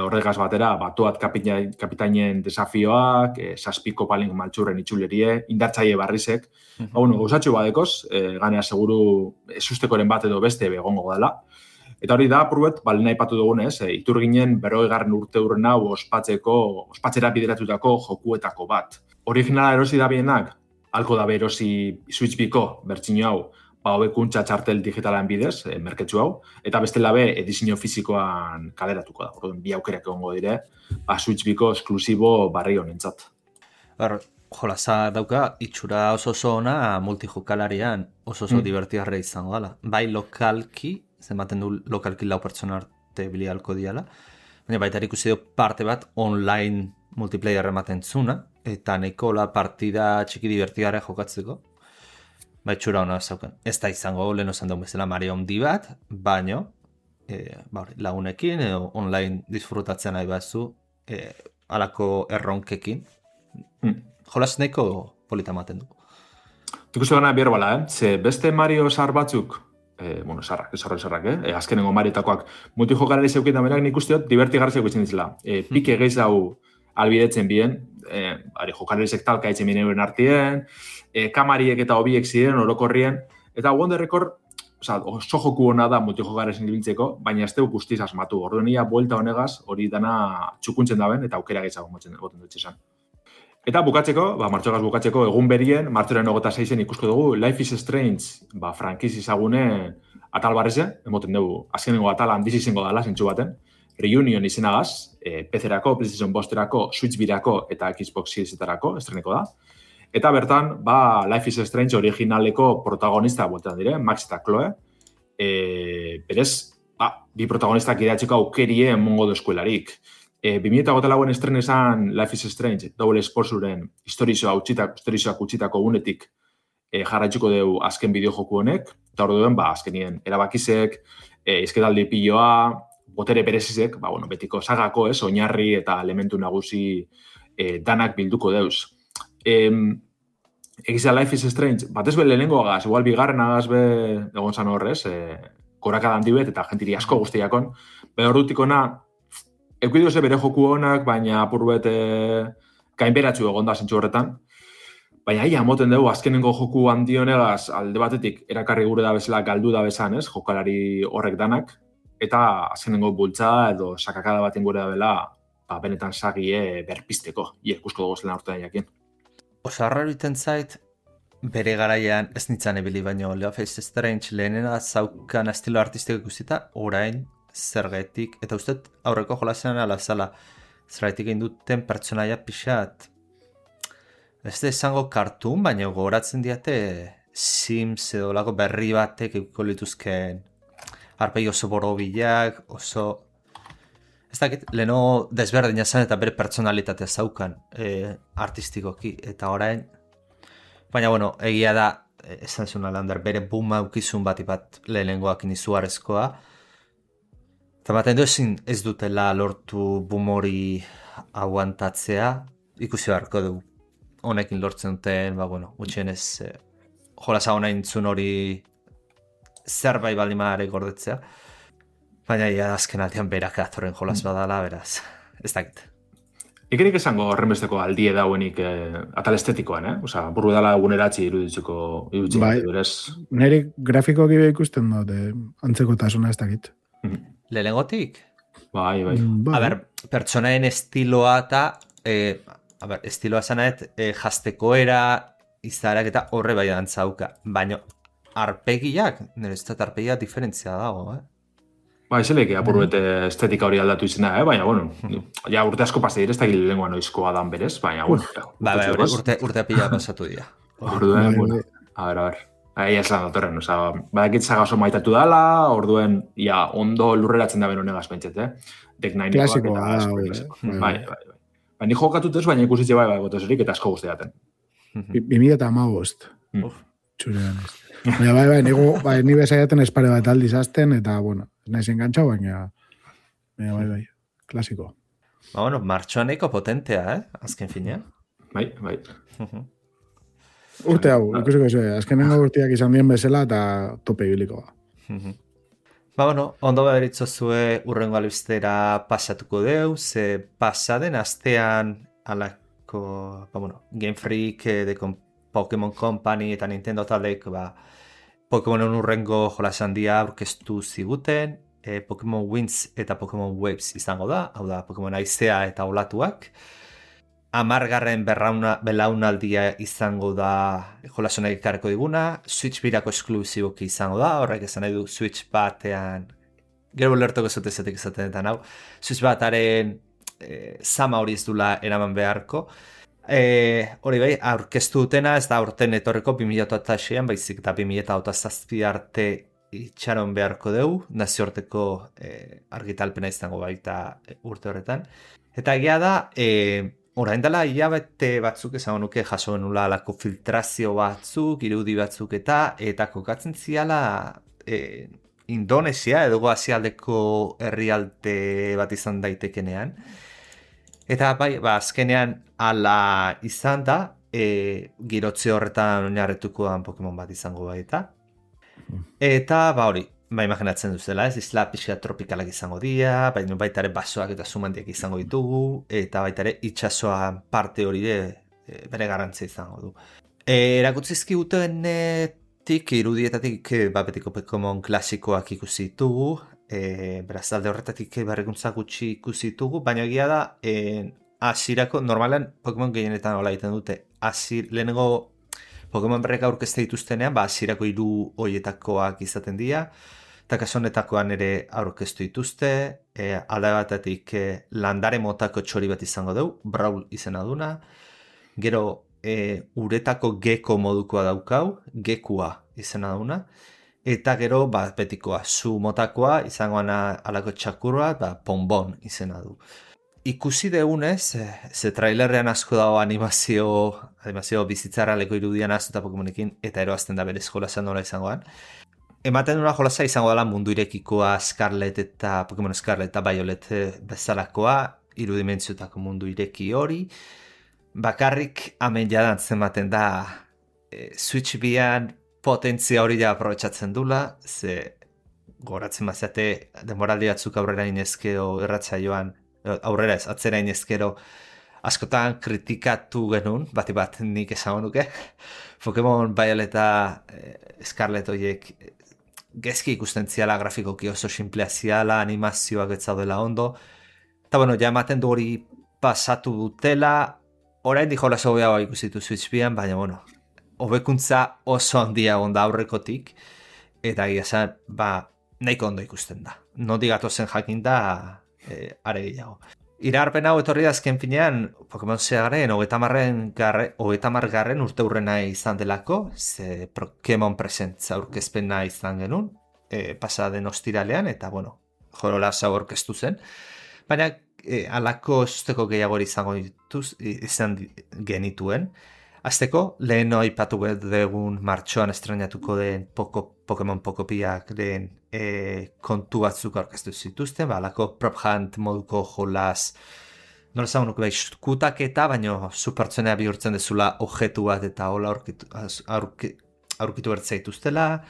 horregaz batera, batuat kapitainen desafioak, saspiko palink maltxurren itxulerie, indartzaile barrizek, gauzatxu badekoz, ganea seguru sustekoren bat edo beste begongo dela. Eta hori da, apurbet, balena ipatu dugunez, iturginen 40. urte hurren hau ospatzera bideratutako jokuetako bat. Originala erosi da bienak, halko da erosi Switch Biko bertsino hau, hobekuntza txartel digitalen bidez, merketxu hau, eta bestela edizio fizikoan kaleratuko da. Orduan, bi aukerak egongo dire, Switch Biko esklusibo barri honentzat. Jolasa dauka, itxura oso ona multijokalarian oso divertigarra izango dela. Bai lokalki, zenbaten du lokalki 4 pertsona arte bilialko diala, baina baita ikusi du parte bat online multiplayer ematen zuna, eta nahiko partida txiki divertigarra jokatzeko. Itxura hona zauken. Ez da izango lehen osan duen bezala Mario handi bat, baino lagunekin online disfrutatzen nahi bazu alako erronkekin. Jolas nahiko polita ematen du. Ikustu gana bier bala, ze beste Mario zar batzuk, zarrak, azkenengo Mariotakoak multijokalari zeukien damenak nik usteot divertigarra zeukitzen ditzela. Pike gehiz hau albidetzen bien, jokalariek talka itzen binen artien, kamariek eta hobiek ziren, orokorrien, eta Wonder Record, oso joku hona da multijokalariek ibiltzeko, baina ez dugu guztiz asmatu. Orduan ia buelta honegaz hori dana txukuntzen daben eta aukera gehiago motzen dut izan. Eta bukatzeko, martxogaz bukatzeko, egun berien, martxoren 26en ikusko dugu, Life is Strange, frankiz izagune atal barreze, emoten dugu, azkenengo atal handiz izango dala, zentsu baten, Reunion izenagaz, PC-erako, PlayStation 5-erako, Switch B-erako eta Xbox Series-etarako estreneko da. Eta bertan, Life is Strange originaleko protagonista bueltan dire, Max eta Chloe. Berez, bi protagonistak idatxeko aukerie emongo du eskuelarik. 2008 estrenezan Life is Strange, Double Exposuren historizoak utzitako unetik jarraitzuko dugu azken bideojoku honek, eta hor duen, azkenien erabakizek, izketaldi piloa, botere berezizek, betiko sagako, oinarri eta elementu nagusi danak bilduko deuz. Egiza Life is Strange, batez be lehenengo agaz, igual bigarren agaz be egon zan horrez, korakada handi bet, eta jentiri asko guztiakon. Be horretikona, eukidu ze bere joku honak, baina apur bet gainberatzu egon da zentsu horretan. Baina ia, moten dugu, azkenengo joku handi honegaz, alde batetik, erakarri gure da bezala galdu da bezan, ez, jokalari horrek danak, eta azkenengo bultzada edo sakakada baten gure da bela, benetan sagie berpisteko, ikusko dugu zelen aurtean jakin. Oso harraro iten zait, bere garaian ez nintzen ebili, baino Life is Strange lehenena zaukan estilo artistiko ikusita, orain zergatik, eta uste aurreko jolasean alazala, zergatik egin duten pertsonaia pixat, ez da esango kartun, baina gogoratzen diate Sims edo lago berri batek eukiko lituzken arpegi oso borobilak, oso... Ez dakit, leheno desberdina zen eta bere pertsonalitatea zaukan artistikoki, eta orain... Baina, bueno, egia da, esan zuen Lander, bere boom aukizun bat lehenengoak inizuarezkoa. Eta baten ezin ez dutela lortu boom hori aguantatzea, ikusi beharko dugu. Honekin lortzen duten, bueno, gutxienez, jolasa hona intzun hori zerbait baldimare gordetzea. Baina azken aldean berak azoren jolas badala, beraz, ez dakit. Ikerik esango horrenbesteko aldie dauenik atal estetikoan, Osa, burru dala eguneratzi iruditzeko berez. Nire grafikoak ibe ikusten dut, antzeko tasuna ez dakit. Lehenengotik? Bai. A ber, pertsonaen estiloa eta, estiloa zanaet, jaztekoera, izarak eta horre bai dantzauka. Baina, arpegiak, nire ez da arpegiak diferentzia dago, Ba, eseleke apurruet estetika hori aldatu izena, baina, bueno, ja urte asko pasa dire, ez da gile lengua noizkoa dan berez, baina, bueno. Urte pila pasatu dira. Orduen, bueno, a ver. Ahi ez lan datorren, oza, badakitzaga oso maitatu dala, orduen, ja, ondo lurreratzen da beno negaz pentset, Deck Nine-ikoak Klasikoa, bai. Baina jokatut ez, baina ikusitze bai, gotozerik eta asko guztiaten. 2015. Txurean ez. Baina bai, ni bezaiaten espare bat aldiz azten, eta, bueno, naiz engantzau, baina bai, klasiko. Bueno, martxoan eko potentea, azken finean. Bai. Urte hau, ikusiko zuen, azkenengo urteak izan dien bezala, eta tope ibilikoa. Bueno, ondo beritzo zue urrengo albistera pasatuko deu, ze pasaden astean alako, Game Freak, Pokémon Company eta Nintendo taldek, Pokémonen urrengo jolasan dia aurkeztu ziguten, Pokémon Winds eta Pokémon Waves izango da, hau da, Pokémon Aizea eta Olatuak. 10. belaunaldia izango da jolasonak ikarreko diguna, Switch birako esklusiboki izango da, horrek esan nahi du Switch batean, gero lertoko zotezetek izaten eta nau, Switch bataren zama hori ez dula eraman beharko. Hori bai, aurkeztu dutena ez da aurten etorreko 2006an, baizik eta 2007 arte itxaron beharko dugu, nazioarteko argitalpena izango baita urte horretan. Eta egia da, orain dela hilabete batzuk esango nuke jaso genula alako filtrazio batzuk, irudi batzuk eta kokatzen ziala Indonesia edo Asialdeko herrialde bat izan daitekenean. Eta bai, azkenean ala izan da, girotze horretan oinarretukoan Pokemon bat izango baita. Eta hori, imaginatzen duzela, ez isla pixka tropikalak izango dira, baita ere basoak eta sumandiak izango ditugu, eta baita ere itxasoa parte hori bere garrantzia izango du. Erakutzizki gutenetik, irudietatik, betiko Pokemon klasikoak ikusi ditugu, beraz alde horretatik berrikuntza gutxi ikusi ditugu, baina egia da, hasierako normalan Pokemon gehienetan hola egiten dute, lehenengo Pokemon berrek aurkezte dituztenean, hasierako 3 horietakoak izaten dira, eta kasu honetakoan ere aurkeztu dituzte, alde batetik landare motako txori bat izango dugu, Brawl izena duna, gero uretako geko modukoa daukau, gekua izena duna, eta gero betikoa, zu motakoa izangoan alako txakurra, Ponbon izena du. Ikusi degunez, ze trailerrean asko dago animazio bizitzara leko irudian azuta Pokemonekin, eta eroazten da berez jolasan nola izangoan. Ematen duna jolasa izango dela mundu irekikoa Scarlet eta Pokemon Scarlet eta Violet bezalakoa, irudimentziotako mundu ireki hori. Bakarrik amen jadan zenbaten da Switch bian potentzia hori ja aprobetxatzen dula, ze goratzen mazate denboraldi batzuk aurrera inezkero erratzaioan, aurrera ez, atzera inezkero askotan kritikatu genuen, bat nik esan nuke, Pokemon Violet eta Scarlet horiek gezki ikusten ziala grafikoki oso simplea ziala, animazioak ez zaudela ondo, eta bueno, ja ematen du hori pasatu dutela, orain di jolas hobeagoa ikusitu Switch bian, baina bueno, hobekuntza oso handia onda aurrekotik, eta gira esan, nahiko ondo ikusten da. Nondik gatozen jakin da, are gehiago. Iragarpen hau etorri da azken finean, Pokemon Zegaren 30. urte hurrena izan delako, ze Pokemon Presents aurkezpena izan genuen, pasaden ostiralean, eta bueno, Jorolas hau aurkeztu zen. Baina alako zuzteko gehiago izan genituen. Azteko, lehen aipatu dugun martxoan estrenatuko den Pokemon Pocopiak den kontu batzuk aurkeztu zituzten, alako prop hunt moduko jolas, nola zagunuk kutaketa, baina supertzenea bihurtzen dezula objetu bat eta hola aurkitu bertzaituztela,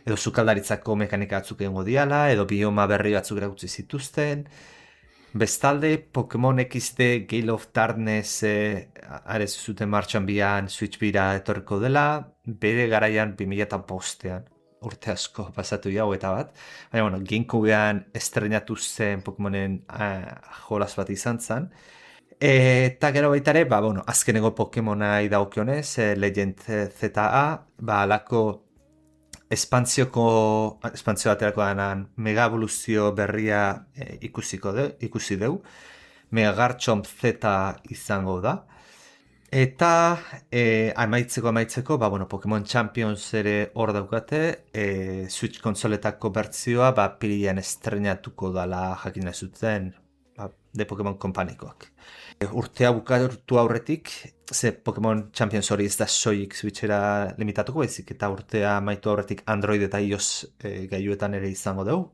edo sukaldaritzako mekanika batzuk egingo diala, edo bioma berri batzuk erakutsi zituzten. Bestalde, Pokemon XD Gale of Darkness arez zuten martxan bian Switch bira etorriko dela, bere garaian 2005ean, urte asko pasatu jau eta bat. Baina, bueno, GameCubean estrenatu zen Pokemonen jolas bat izan zen. Eta gero baitare, azkeneko Pokemonai daukionez, Legend ZA, alako espantzio baterako denan mega evoluzio berria ikusi deu. Megarchomp Z izango da. Eta amaitzeko, Pokemon Champions ere hor daukate, Switch konsoletako bertzioa, pilian estrenatuko dala jakin zuten de Pokemon Kompanikoak. Urtea bukatu aurretik, ze Pokemon Champions hori ez da soilik Switchera limitatuko baizik, eta urtea amaitu aurretik Android eta iOS gailuetan ere izango dugu.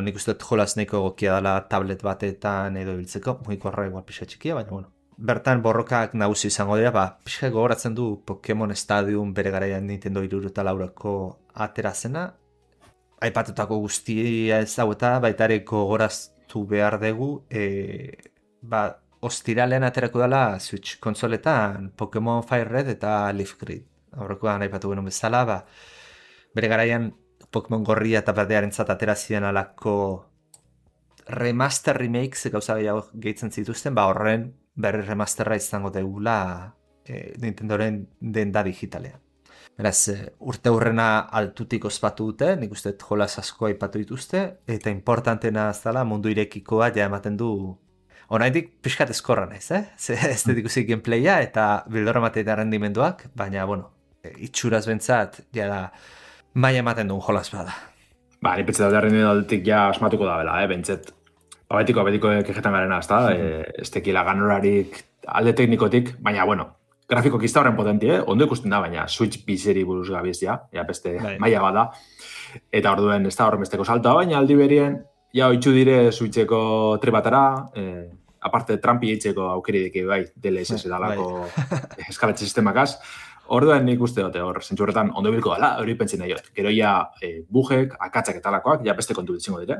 Nik uste dut jolas nahiko egokia dela tablet batetan edo ibiltzeko, mugikorra igual pixa txikia, baina bertan borrokak nagusi izango dira, pixka gogoratzen du Pokemon Stadium bere garaian Nintendo 64ko atera zena. Aipatutako guztia ez hau eta baitare gogoraztu behar dugu, ostiralean aterako dela Switch konsoletan Pokemon Fire Red eta Leaf Grid. Aurrekoan aipatu genuen bezala, bere garaian Pokemon gorria eta berdearentzat atera ziren alako remaster remakes gauza gehiago gehitzen zituzten, horren berri remasterra izango degula Nintendoren denda digitalean. Beraz, urte hurrena altutik ospatu dute, nik uste jolas asko aipatu dituzte, eta importantena zala mundu irekikoa ja ematen du. Oraindik pixkat eskorra naiz, ez dut ikusi gameplaya eta bildorra mateita rendimenduak, baina, itxuraz bentsat, jada, maia ematen duen jolas bada. Ni pentsa da rendimenduatik ja asmatuko da bela, bentsat. Betiko kejetan garena, ez da, ez tekila ganorarik alde teknikotik, baina, grafiko kizta horren potenti, ondo ikusten da, baina Switch bizeri buruz gabiz beste maila bada, eta orduen ez da horren besteko salta, baina aldi berien, oitzu dire Switcheko trebatara, aparte Trumpi eitzeko aukeridik DLSS edalako eskalatxe sistemakaz, orduan nik uste dute hor, zentzurretan ondo bilko dela, hori pentsin nahi jot. Gero bugek, akatzak eta alakoak, beste kontu ditzingo dire.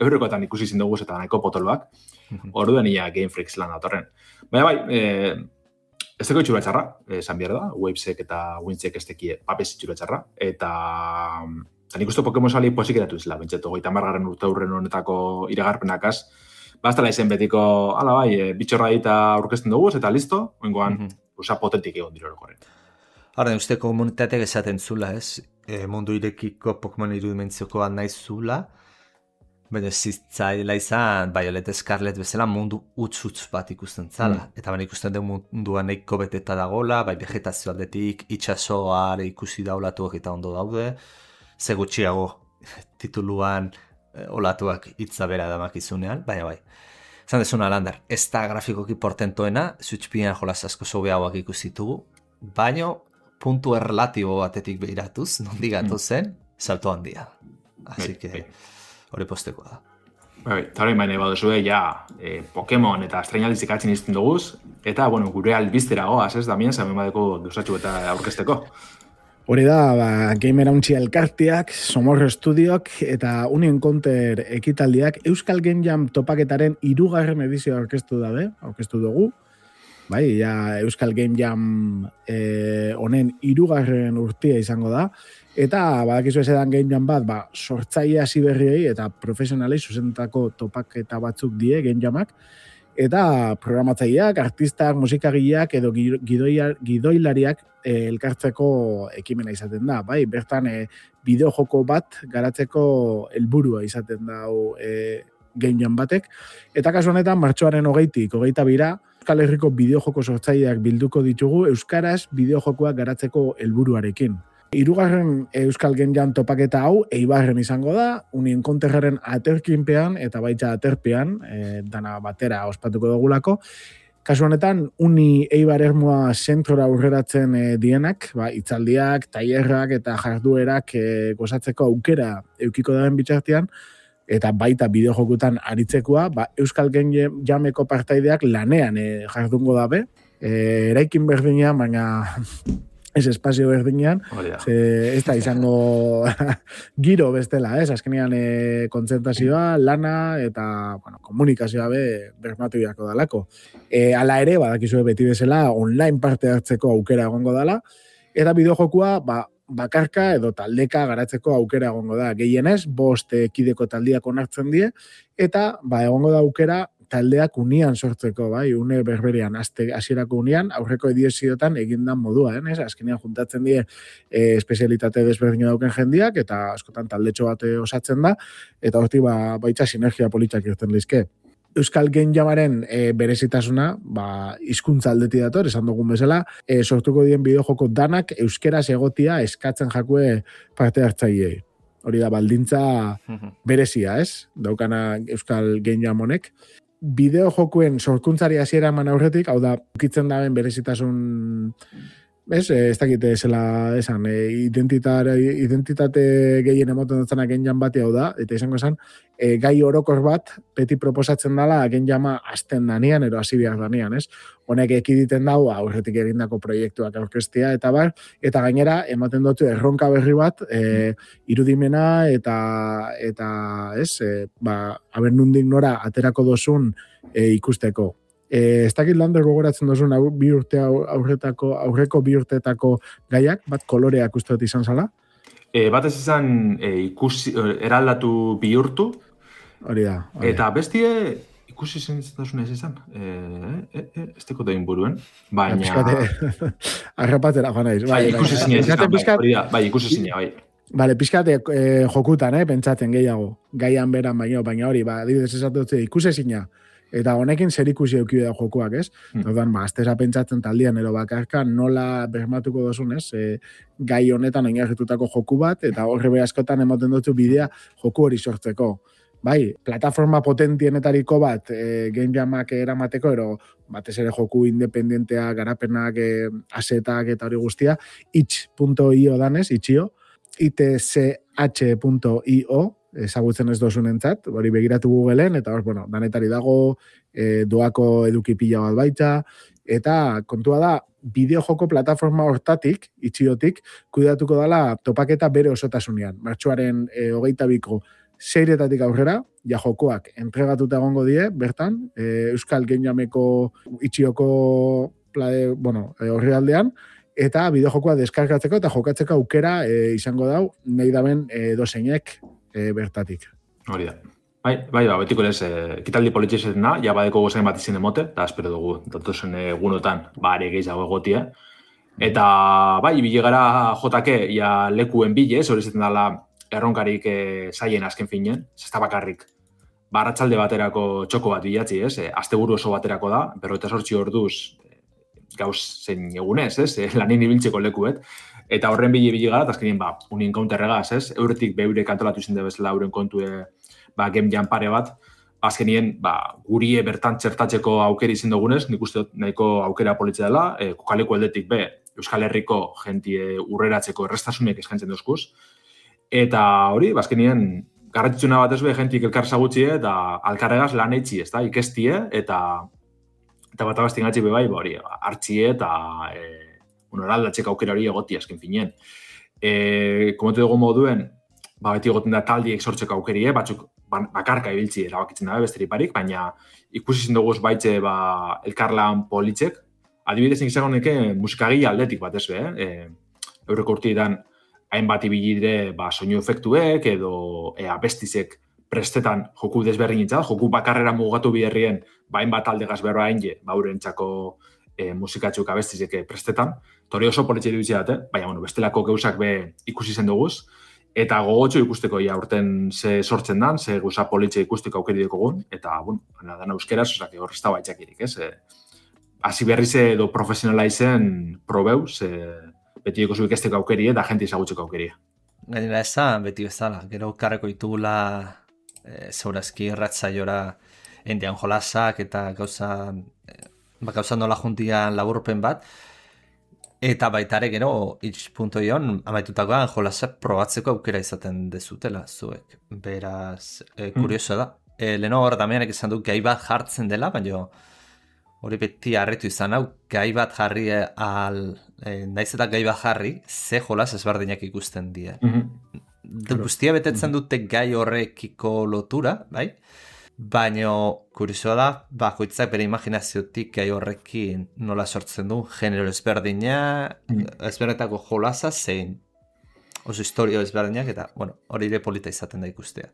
Eurrekoetan ikusi zindoguz eta nahiko potoloak, orduan Game Freaks lan datorren. Baina ez teko itxura txarra, esan behar da, Wavesek eta Windsek ez tekie papez itxura txarra, eta nik uste Pokemon sali posik eratu izela, bentseto, 30. urte hurren honetako iragarpenakaz, bastala izen betiko, bitxorra dita aurkezten dugu, eta listo, oingoan, potentik egon dira horrekoaren. Hora, uste komunitateak esaten zula, ez? Mundu irekiko Pokemon irudimentzioko nahi zula, baina zitzaila izan, Violet Scarlet bezala mundu utz bat ikusten zala. Eta baina ikusten den mundua nahiko beteta dagola, vegetazio aldetik, itxasoa ikusi daulatuak eta ondo daude, ze gutxiago tituluan olatuak hitza bera damakizunean, baina Zan dezuna, Lander, ez da grafikoki portentoena, Switch bian jolas asko sobeagoak ikusitugu, baina puntu erlatibo batetik behiratuz, nondik gatu zen, salto handia. Así que hori postekoa da. Eta hori maine baduzue, Pokemon eta Astrainaldiz ikatzen izten duguz, eta, bueno, gure albiztera goaz, ez, Damien, zamen badeko gauzatxu eta aurkezteko. Hori da, Gamer Hauntzi elkarteak, Somorro Studiok eta Union Counter ekitaldiak Euskal Game Jam topaketaren 3. edizioa aurkeztu dugu. Bai, Euskal Game Jam honen 3. urtea izango da. Eta badakizu ezedan Game Jam bat, sortzaile hasi berriei eta profesionalei zuzentako topaketa batzuk die Game Jamak. Eta programatzaileak, artistak, musikagileak edo gidoilariak elkartzeko ekimena izaten da. Bai, bertan bideojoko bat garatzeko helburua izaten da Game Jam batek. Eta kasu honetan, martxoaren 20-tik 22 Euskal Herriko bideojoko sortzaileak bilduko ditugu euskaraz bideojokoak garatzeko helburuarekin. 3. Euskal Game Jam topaketa hau Eibarren izango da, Union Counterren aterkinpean eta baita aterpean, dana batera ospatuko dugulako. Kasu honetan, Uni Eibar Ermua zentrora aurreratzen dienak, hitzaldiak, tailerrak eta jarduerak gozatzeko aukera eukiko daren bitartean, eta baita bideojokutan aritzekoa, Euskal Game Jameko partaideak lanean jardungo dabe, eraikin berdinean, baina ez espazio berdinean, ez da izango giro bestela, azkenean kontzentrazioa, lana eta komunikazioa bermatu beharko dalako. Hala ere, badakizue beti bezala, online parte hartzeko aukera egongo dala, eta bideojokua bakarka edo taldeka garatzeko aukera egongo da. Gehienez, 5 kideko taldiak onartzen die, eta egongo da aukera taldeak unian sortzeko, une berberean, hasierako unian, aurreko edizioetan egindan modua, azkenean juntatzen die espezialitate desberdina dauken jendiak, eta askotan taldetxo bat osatzen da, eta hortik baita sinergia politak irten lizke. Euskal Game Jamaren berezitasuna, hizkuntza aldetik dator, esan dugun bezala, sortuko dien bideojoko danak euskeraz egotia eskatzen jakue parte hartzaileei. Hori da, baldintza berezia, daukana Euskal Game Jam honek. Bideojokuen sorkuntzari hasiera eman aurretik, hau da, ukitzen daben berezitasun, ez dakite zela esan, identitate gehien emoten dutzena Game Jam bati hau da, eta izango esan, gai orokor bat, beti proposatzen dela Game Jama hasten danean, ero hasi behar danean, ez? Honek ekiditen dau, aurretik egindako proiektuak aurkeztea, eta gainera, ematen dut erronka berri bat, irudimena, eta abernundik nora aterako dozun ikusteko. Ez dakit lander gogoratzen duzun aurreko 2 urteetako gaiak, bat koloreak uste dut izan zala? Bat ez izan eraldatu bihurtu. Hori da. Eta bestie ikusi zentzatazun ez izan. Ez teko da inburuen. Baina... Arrapatera, joan naiz. Ikusi zine ez izan, ikusi zine, bai. Bale, pixkate jokutan, pentsatzen gehiago. Gaian beran baina hori, adibidez esatu dut, ikusi zina. Eta honekin zer ikusi euki da jokuak, ez? Orduan, aztera pentsatzen taldian ero bakarka nola bermatuko dozun, ez? Gai honetan oinarritutako joku bat, eta horre behazkotan ematen dutzu bidea joku hori sortzeko. Bai, plataforma potentienetariko bat Game Jamak eramateko, ero batez ere joku independentea, garapenak, asetak eta hori guztia, itch.io danez, itch.io, itch.io, ezagutzen ez dozunentzat, hori begiratu Googleen, eta hor, danetari dago, doako eduki pila bat baita, eta kontua da, bideojoko plataforma hortatik, itxiotik, kuidatuko dala topaketa bere osotasunean. Martxoaren 22ko 6-etatik aurrera, jokoak entregatuta egongo die, bertan, Euskal Game Jameko itxioko horri aldean, eta bideojokoa deskargatzeko eta jokatzeko aukera izango dau, nahi daben dozeinek bertatik. Hori da. Bai, betiko lez, kitaldi politxezen da, ja badeko gozain bat izin emote, eta espero dugu, datozen egunotan, are gehiago egotia. Eta, bai, bilegara jotake, ja lekuen bile, hori zeten dala erronkarik zaien azken finen, ez da bakarrik. Arratsalde baterako txoko bat bilatzi, asteburu oso baterako da, 48 orduz gauz zein egunez, lanin ibiltzeko lekuet. Eta horren bile gara, eta azkenien, Union Counterregaz, euretik beure kantolatu izin debezela euren kontue Game Jam pare bat, azkenien gurie bertan txertatzeko aukera izin dugunez, nik uste nahiko aukera politzea dela, kokaleko aldetik Euskal Herriko jentie urreratzeko errestasunek eskaintzen duzkuz. Eta hori, azkenien garrantzitsuna bat ez be, jentik elkar zagutxie, eta alkarregaz lan eitzi, ez da, ikestie, eta bat abastin gatzi bebai, hori, hartxie, eta eraldatzeko aukera hori egoti azken finien. Komentu dugu moduen, beti egoten da taldiek sortzeko aukerie, batzuk bakarka ibiltzi erabakitzen dabe besteri baina ikusi zinduguz baitze elkarlan politzek, adibidez nik izango neke musikagile aldetik bat ez be, eurreko urtietan hainbat ibilire soinu efektuek edo abestizek prestetan joku desberdinitza, joku bakarrera mugatu biherrien hainbat aldegaz berroa hainge, urentzako musikatxuk abestizek prestetan, hori oso politxe dutzea dut, baina bestelako geuzak be ikusi zen duguz, eta gogotxo ikusteko urten ze sortzen dan, ze gauza politxe ikusteko aukeri dekogun, eta, dana euskeraz, hor ez da baitxakirik, ez? Hasi berriz edo profesionala izen probeu, beti eko zuik esteko aukeri, eta jenti ezagutzeko aukeri. Gainera esan, beti bezala, gero karreko ditugula zeurazki irratzaiora endian jolasak eta gauzan nola juntian laburpen bat, eta baitare gero itx.ion amaitutakoan jolasak probatzeko aukera izaten dezutela zuek. Beraz, kurioso da. Leno hor Damianek esan du gai bat jartzen dela, baina hori beti harritu izan hau, gai bat jarri naiz eta gai bat jarri, ze jolas ezberdinak ikusten die. Guztia betetzen dute gai horrekiko lotura, bai? Baina kuriosoa da, bakoitzak bere imaginaziotik gai horrekin nola sortzen du, genero ezberdina, ezberdetako jolasa zein oso historio ezberdinak, eta hori ere polita izaten da ikustea.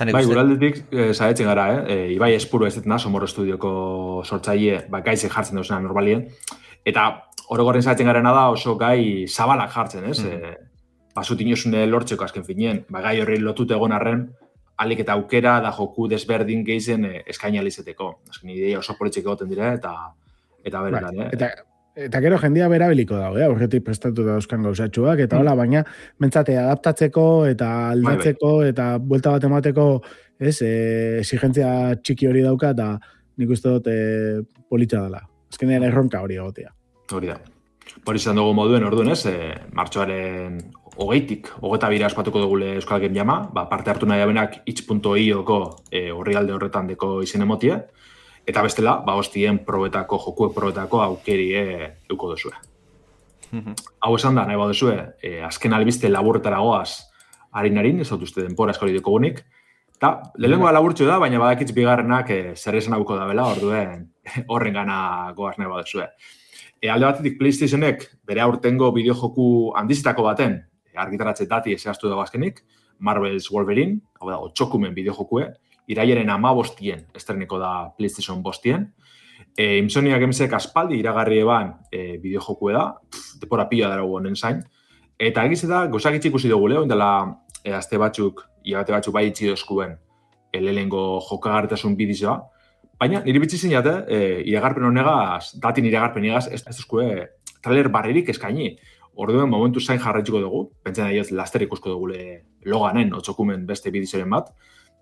Bai, guraldetik zahetzen gara, Ibai Espuro ez detena, Somorro Estudioko sortzaile, gaizek jartzen dauzena normalien, eta orokorren zahetzen garena da oso gai zabalak jartzen, ez? Basut inosune lortzeko azken finien, gai horri lotute egon arren, alik eta aukera da joku desberdin gehizen eskaini alizeteko. Azken ideia oso politxek egoten dire, eta beretan, Eta gero jendia berabiliko dago, aurretik prestatu dauzkan gauzatxuak, eta hola, baina mentzate adaptatzeko eta aldatzeko eta buelta bat emateko exigentzia txiki hori dauka, eta nik uste dut politxa dela. Azkenean erronka hori egotea. Hori da. Hori izan dugu moduen orduan, martxoaren 22 aspatuko dugule Euskal Game Jama, parte hartu nahi abenak itx.ioko horrialde horretan deko izen emotie, eta bestela, hostien probetako, jokuek probetako aukerie euko duzue. Hau esan da, nahi baduzue, azken albiste laburretara goaz harin, ez dut uste denpora eskori dekogunik, eta lehenengoa laburtxo da, baina badakitz bigarrenak zer esan hauko da bela, orduen horren gana goaz nahi baduzue. Alde batetik PlayStationek bere aurtengo bideojoku handizitako baten, argitaratze dati zehaztu dago azkenik, Marvel's Wolverine, hau da, 8 bideojokue, irailaren 15 estreniko da PlayStation 5. Insomnia Gamesek aspaldi iragarri eban bideojokue da, depora pila dara honen zain. Eta egiz eta gozakitzi ikusi dugu leo, indela azte batzuk, iagate batzuk bai itxi dozkuen lehengo jokagarritasun bidizoa. Baina niri bitzi zinate, iragarpen honegaz, datin iragarpen egaz, ez duzkue trailer barririk eskaini. Orduen momentu zain jarraituko dugu, pentsen nahi ez laster ikusko dugule loganen, 8 beste bidizoren bat.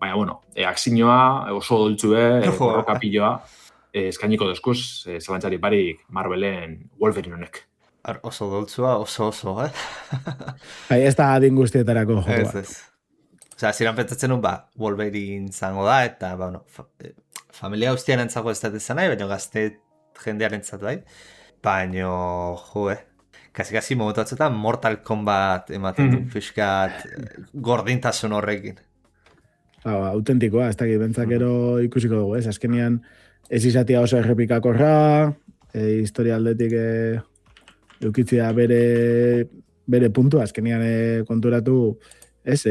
Baina, akzinoa, oso doltzue, borrokapilloa, eskainiko dozkuz, zalantzari barik Marvelen Wolverine honek. Oso doltzua, oso, Ez da adin guztietarako jokoa. Ez. Osea, ziren pentsatzen Wolverine zango da, eta, familia guztian entzago ez dut izan nahi, baina gazte jendearen zatu bai. Baina, kasi momentu batzuetan Mortal Kombat ematen du fiskat gordintasun horrekin. Autentikoa, ez dakit, bentzakero ikusiko dugu, ez? Azkenian ez izatea oso errepikakorra, historia aldetik eukitzia bere puntua, azkenian konturatu, ez?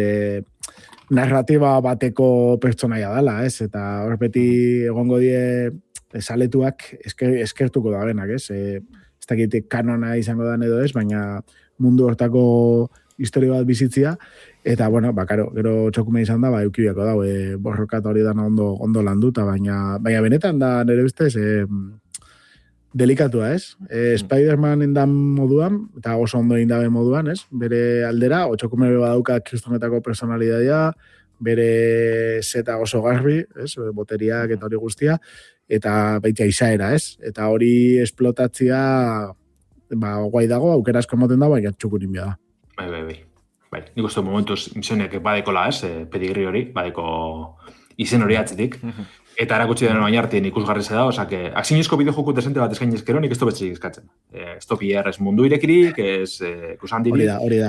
Narratiba bateko pertsonaia dela, ez? Eta horpeti egongo die saletuak eskertuko da benak, ez? Ez dakit kanona izango da edo ez, baina mundu hortako historia bat bizitzia, eta, karo, gero txokume izan da, eukibiako dau, borrokat hori dana ondo landuta, baina benetan da nire ustez, delikatua, ez? Spider-Man endan moduan, eta oso ondo indabe moduan, ez? Bere aldera, txokume badauka kristonetako personalidadea, bere zeta oso garbi, ez? Boteriak eta hori guztia, eta baitia izaera, ez? Eta hori esplotatzia, guai dago, aukera asko moten da, baina txukurin bia da. Bai. Bai, nik uste momentuz misionek badekola, pedigri hori, badeko izen hori atzetik. Eta erakutsi denen baina artien ikusgarri da, osake, aksinezko bideojoku desente bat eskain ezkero, nik ez betxik eskatzen. Ez topier, ez mundu irekirik, ez kusandirik. Hori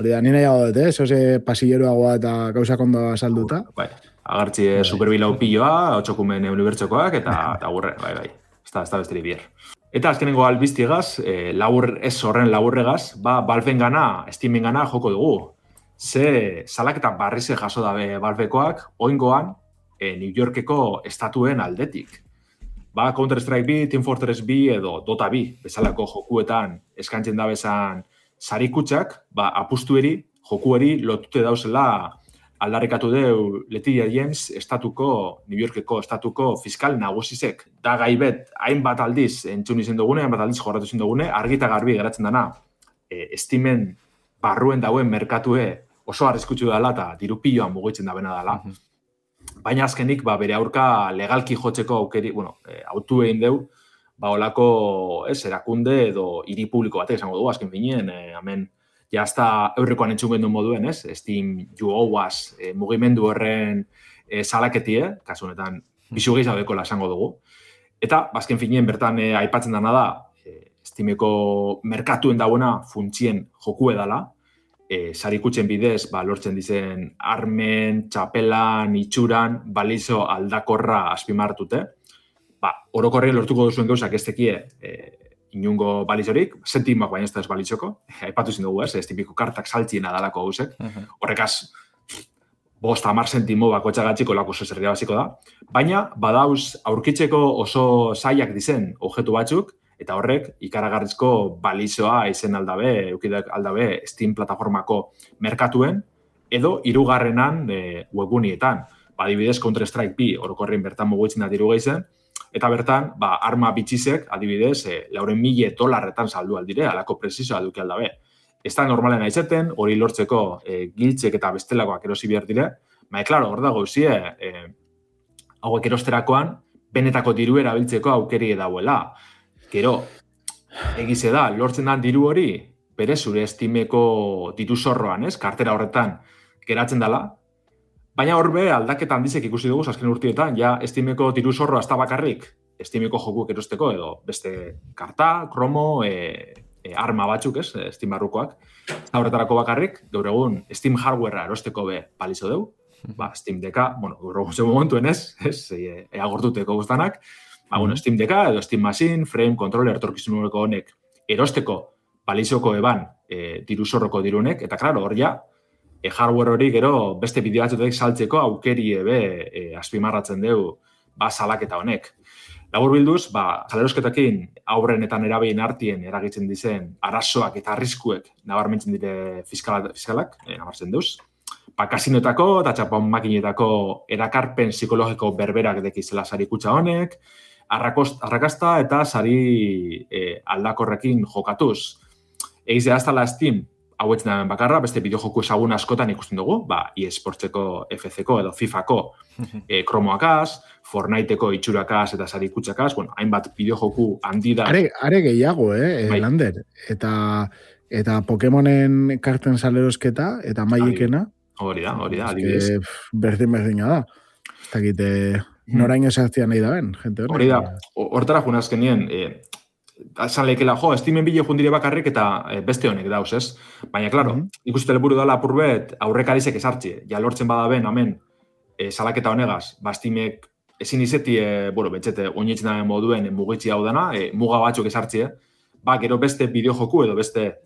da, nina jago dut, zoze pasilleroagoa eta gauzak ondo salduta. Bai, agartzi superbilau pilloa, otxokumen unibertsokoak, eta gurre, bai. Ez da besteri bier. Eta azkenengo albiztiegaz, ez horren laburregaz, Valven gana, Steamen gana joko dugu. Ze salaketa barrize jaso dabe Valvekoak, oingoan, New Yorkeko estatuen aldetik. Counter-Strike B, Team Fortress B edo Dota B, bezalako jokuetan eskantzen da bezan sarikutxak, apustueri, jokueri lotute dauzela aldarrikatu deu Letitia James New Yorkeko estatuko fiskal nagusizek. Da gaibet, hainbat aldiz entzun izen dugune, hainbat aldiz jorratu izen dugune, argita garbi geratzen dana, Steamen barruen dauen merkatue oso arriskutsu dela eta dirupilloan mugitzen da bena dela. Baina azkenik, bere aurka legalki jotzeko aukeri, autu egin deu, olako erakunde edo hiri publiko batek esango dugu, azken finien, hemen, jazta eurrekoan entzungen duen moduen, Steam UOAS mugimendu horren salaketie, kasu honetan, bisu gehiagoekola esango dugu. Eta, azken finien, bertan aipatzen dana da, Steameko merkatuen dagoena funtzien joku edala, sarikutzen bidez, lortzen dizen armen, txapelan, itxuran, balizo aldakorra azpimartute. Orokorri lortuko duzuen gauzak ez tekie inungo balizorik, sentimak baina ez da ez balizoko. Aipatu zen dugu, Steameko kartak saltziena dalako gauzek. Horrekaz, 5-10 sentimo bako txagatxiko lako zerria basiko da. Baina, badauz aurkitzeko oso zaiak dizen objetu batzuk, eta horrek ikaragarrizko balizoa izen aldabe, eukidak aldabe Steam plataformako merkatuen, edo hirugarrenan webgunietan. Adibidez, Counter-Strike B orokorrin bertan mugitzen da diru gehizen, eta bertan, arma bitxizek, adibidez, $400,000 saldu aldire, alako presizoa duke aldabe. Ez da normalen aizeten, hori lortzeko giltzek eta bestelakoak erosi behar dire, klaro, hor dago zie, hauek erosterakoan, benetako diru erabiltzeko aukeri edauela. Gero, egize da, lortzen da diru hori, bere zure Steameko diru zorroan, kartera horretan geratzen dela, baina horbe aldaketa handizek ikusi dugu azken urtietan, ja Steameko diru zorroa ez da bakarrik, Steameko jokuek erosteko edo beste karta, kromo, arma batzuk, Steam barrukoak, eta horretarako bakarrik, gaur egun Steam hardwarea erosteko balizo deu, Steam DK, gaur egun zen momentuen eagortuteko guztanak, Steam DK edo Steam Machine, Frame, Controller, etorkizuneko honek erosteko balizoko eban diru zorroko dirunek, eta klaro, hor ja, hardware hori gero beste bideo batzutek saltzeko aukeri azpimarratzen deu salaketa honek. Labur bilduz, salerosketakin aurren eta nerabein artien eragitzen dizen arazoak eta arriskuek nabarmentzen dire fiskalak, nabartzen deuz. Kasinoetako eta txapon makinetako erakarpen psikologiko berberak dekizela sarikutxa honek, arrakasta eta sari aldakorrekin jokatuz. Egizea aztala Steam, hauetzen da bakarra, beste bideojoku ezagun askotan ikusten dugu, eSportseko, FC-ko edo FIFA-ko kromoakaz, Fortniteko itxurakaz eta sarikutxakaz, hainbat bideojoku handi da. Are gehiago, Lander. Eta Pokemonen karten salerosketa eta maiekena. Hori da, adibidez. Berdina da. Ez dakit, noraino sartzea nahi da ben, gente hori. Hori da, hortara juna azkenien, esan lehikela, Steamen bideo jundire bakarrik eta beste honek dauz, ez? Baina, klaro, ikuste helburu dela apurbet aurrekarizek esartzi. Ja lortzen badaben, hemen, salaketa honegaz, Steamek ezin izeti, betxete, oinetzen daben moduen mugitzi hau dana, muga batzuk esartzi, gero beste bideojoku edo beste,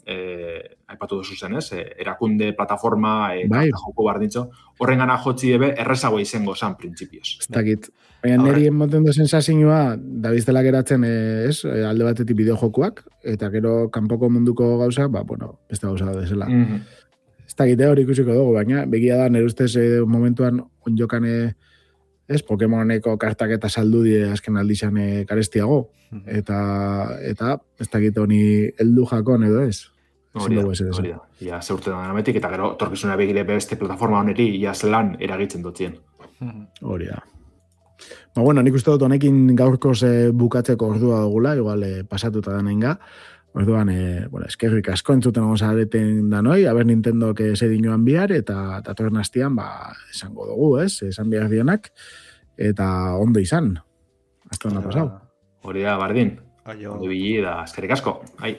aipatu duzu zen, ez? Erakunde, plataforma, joko bardintxo, horren gana jotzi ebe errezago izango zan, printzipioz. Ez dakit. Baina niri emoten dozen sensazioa, dabiztela geratzen, alde batetik bideojokuak, eta gero kanpoko munduko gauza, beste gauza da desela. Ez dakit, hori ikusiko dugu, baina begia da, nire ustez momentuan onjokan Pokemoneko kartak eta saldu die azken aldizan karestiago. Eta ez dakit honi heldu jakon edo ez. Hori da. Ia zeurte da nametik, eta gero torkizuna begire beste plataforma honeri ia zelan eragitzen dutzien. Hori da. Nik uste dut honekin gaurkoz bukatzeko ordua dugula, igual pasatuta da nainga. Orduan, bueno, eskerrik asko entzuten egon zareten da noi, aber Nintendo que se dinoan bihar, eta datorren astian, esango dugu, esan bihar dienak, eta ondo izan. Hasta onda pasau. Hori da, bardin. Aio. Ondo bili da, eskerrik asko. Ai.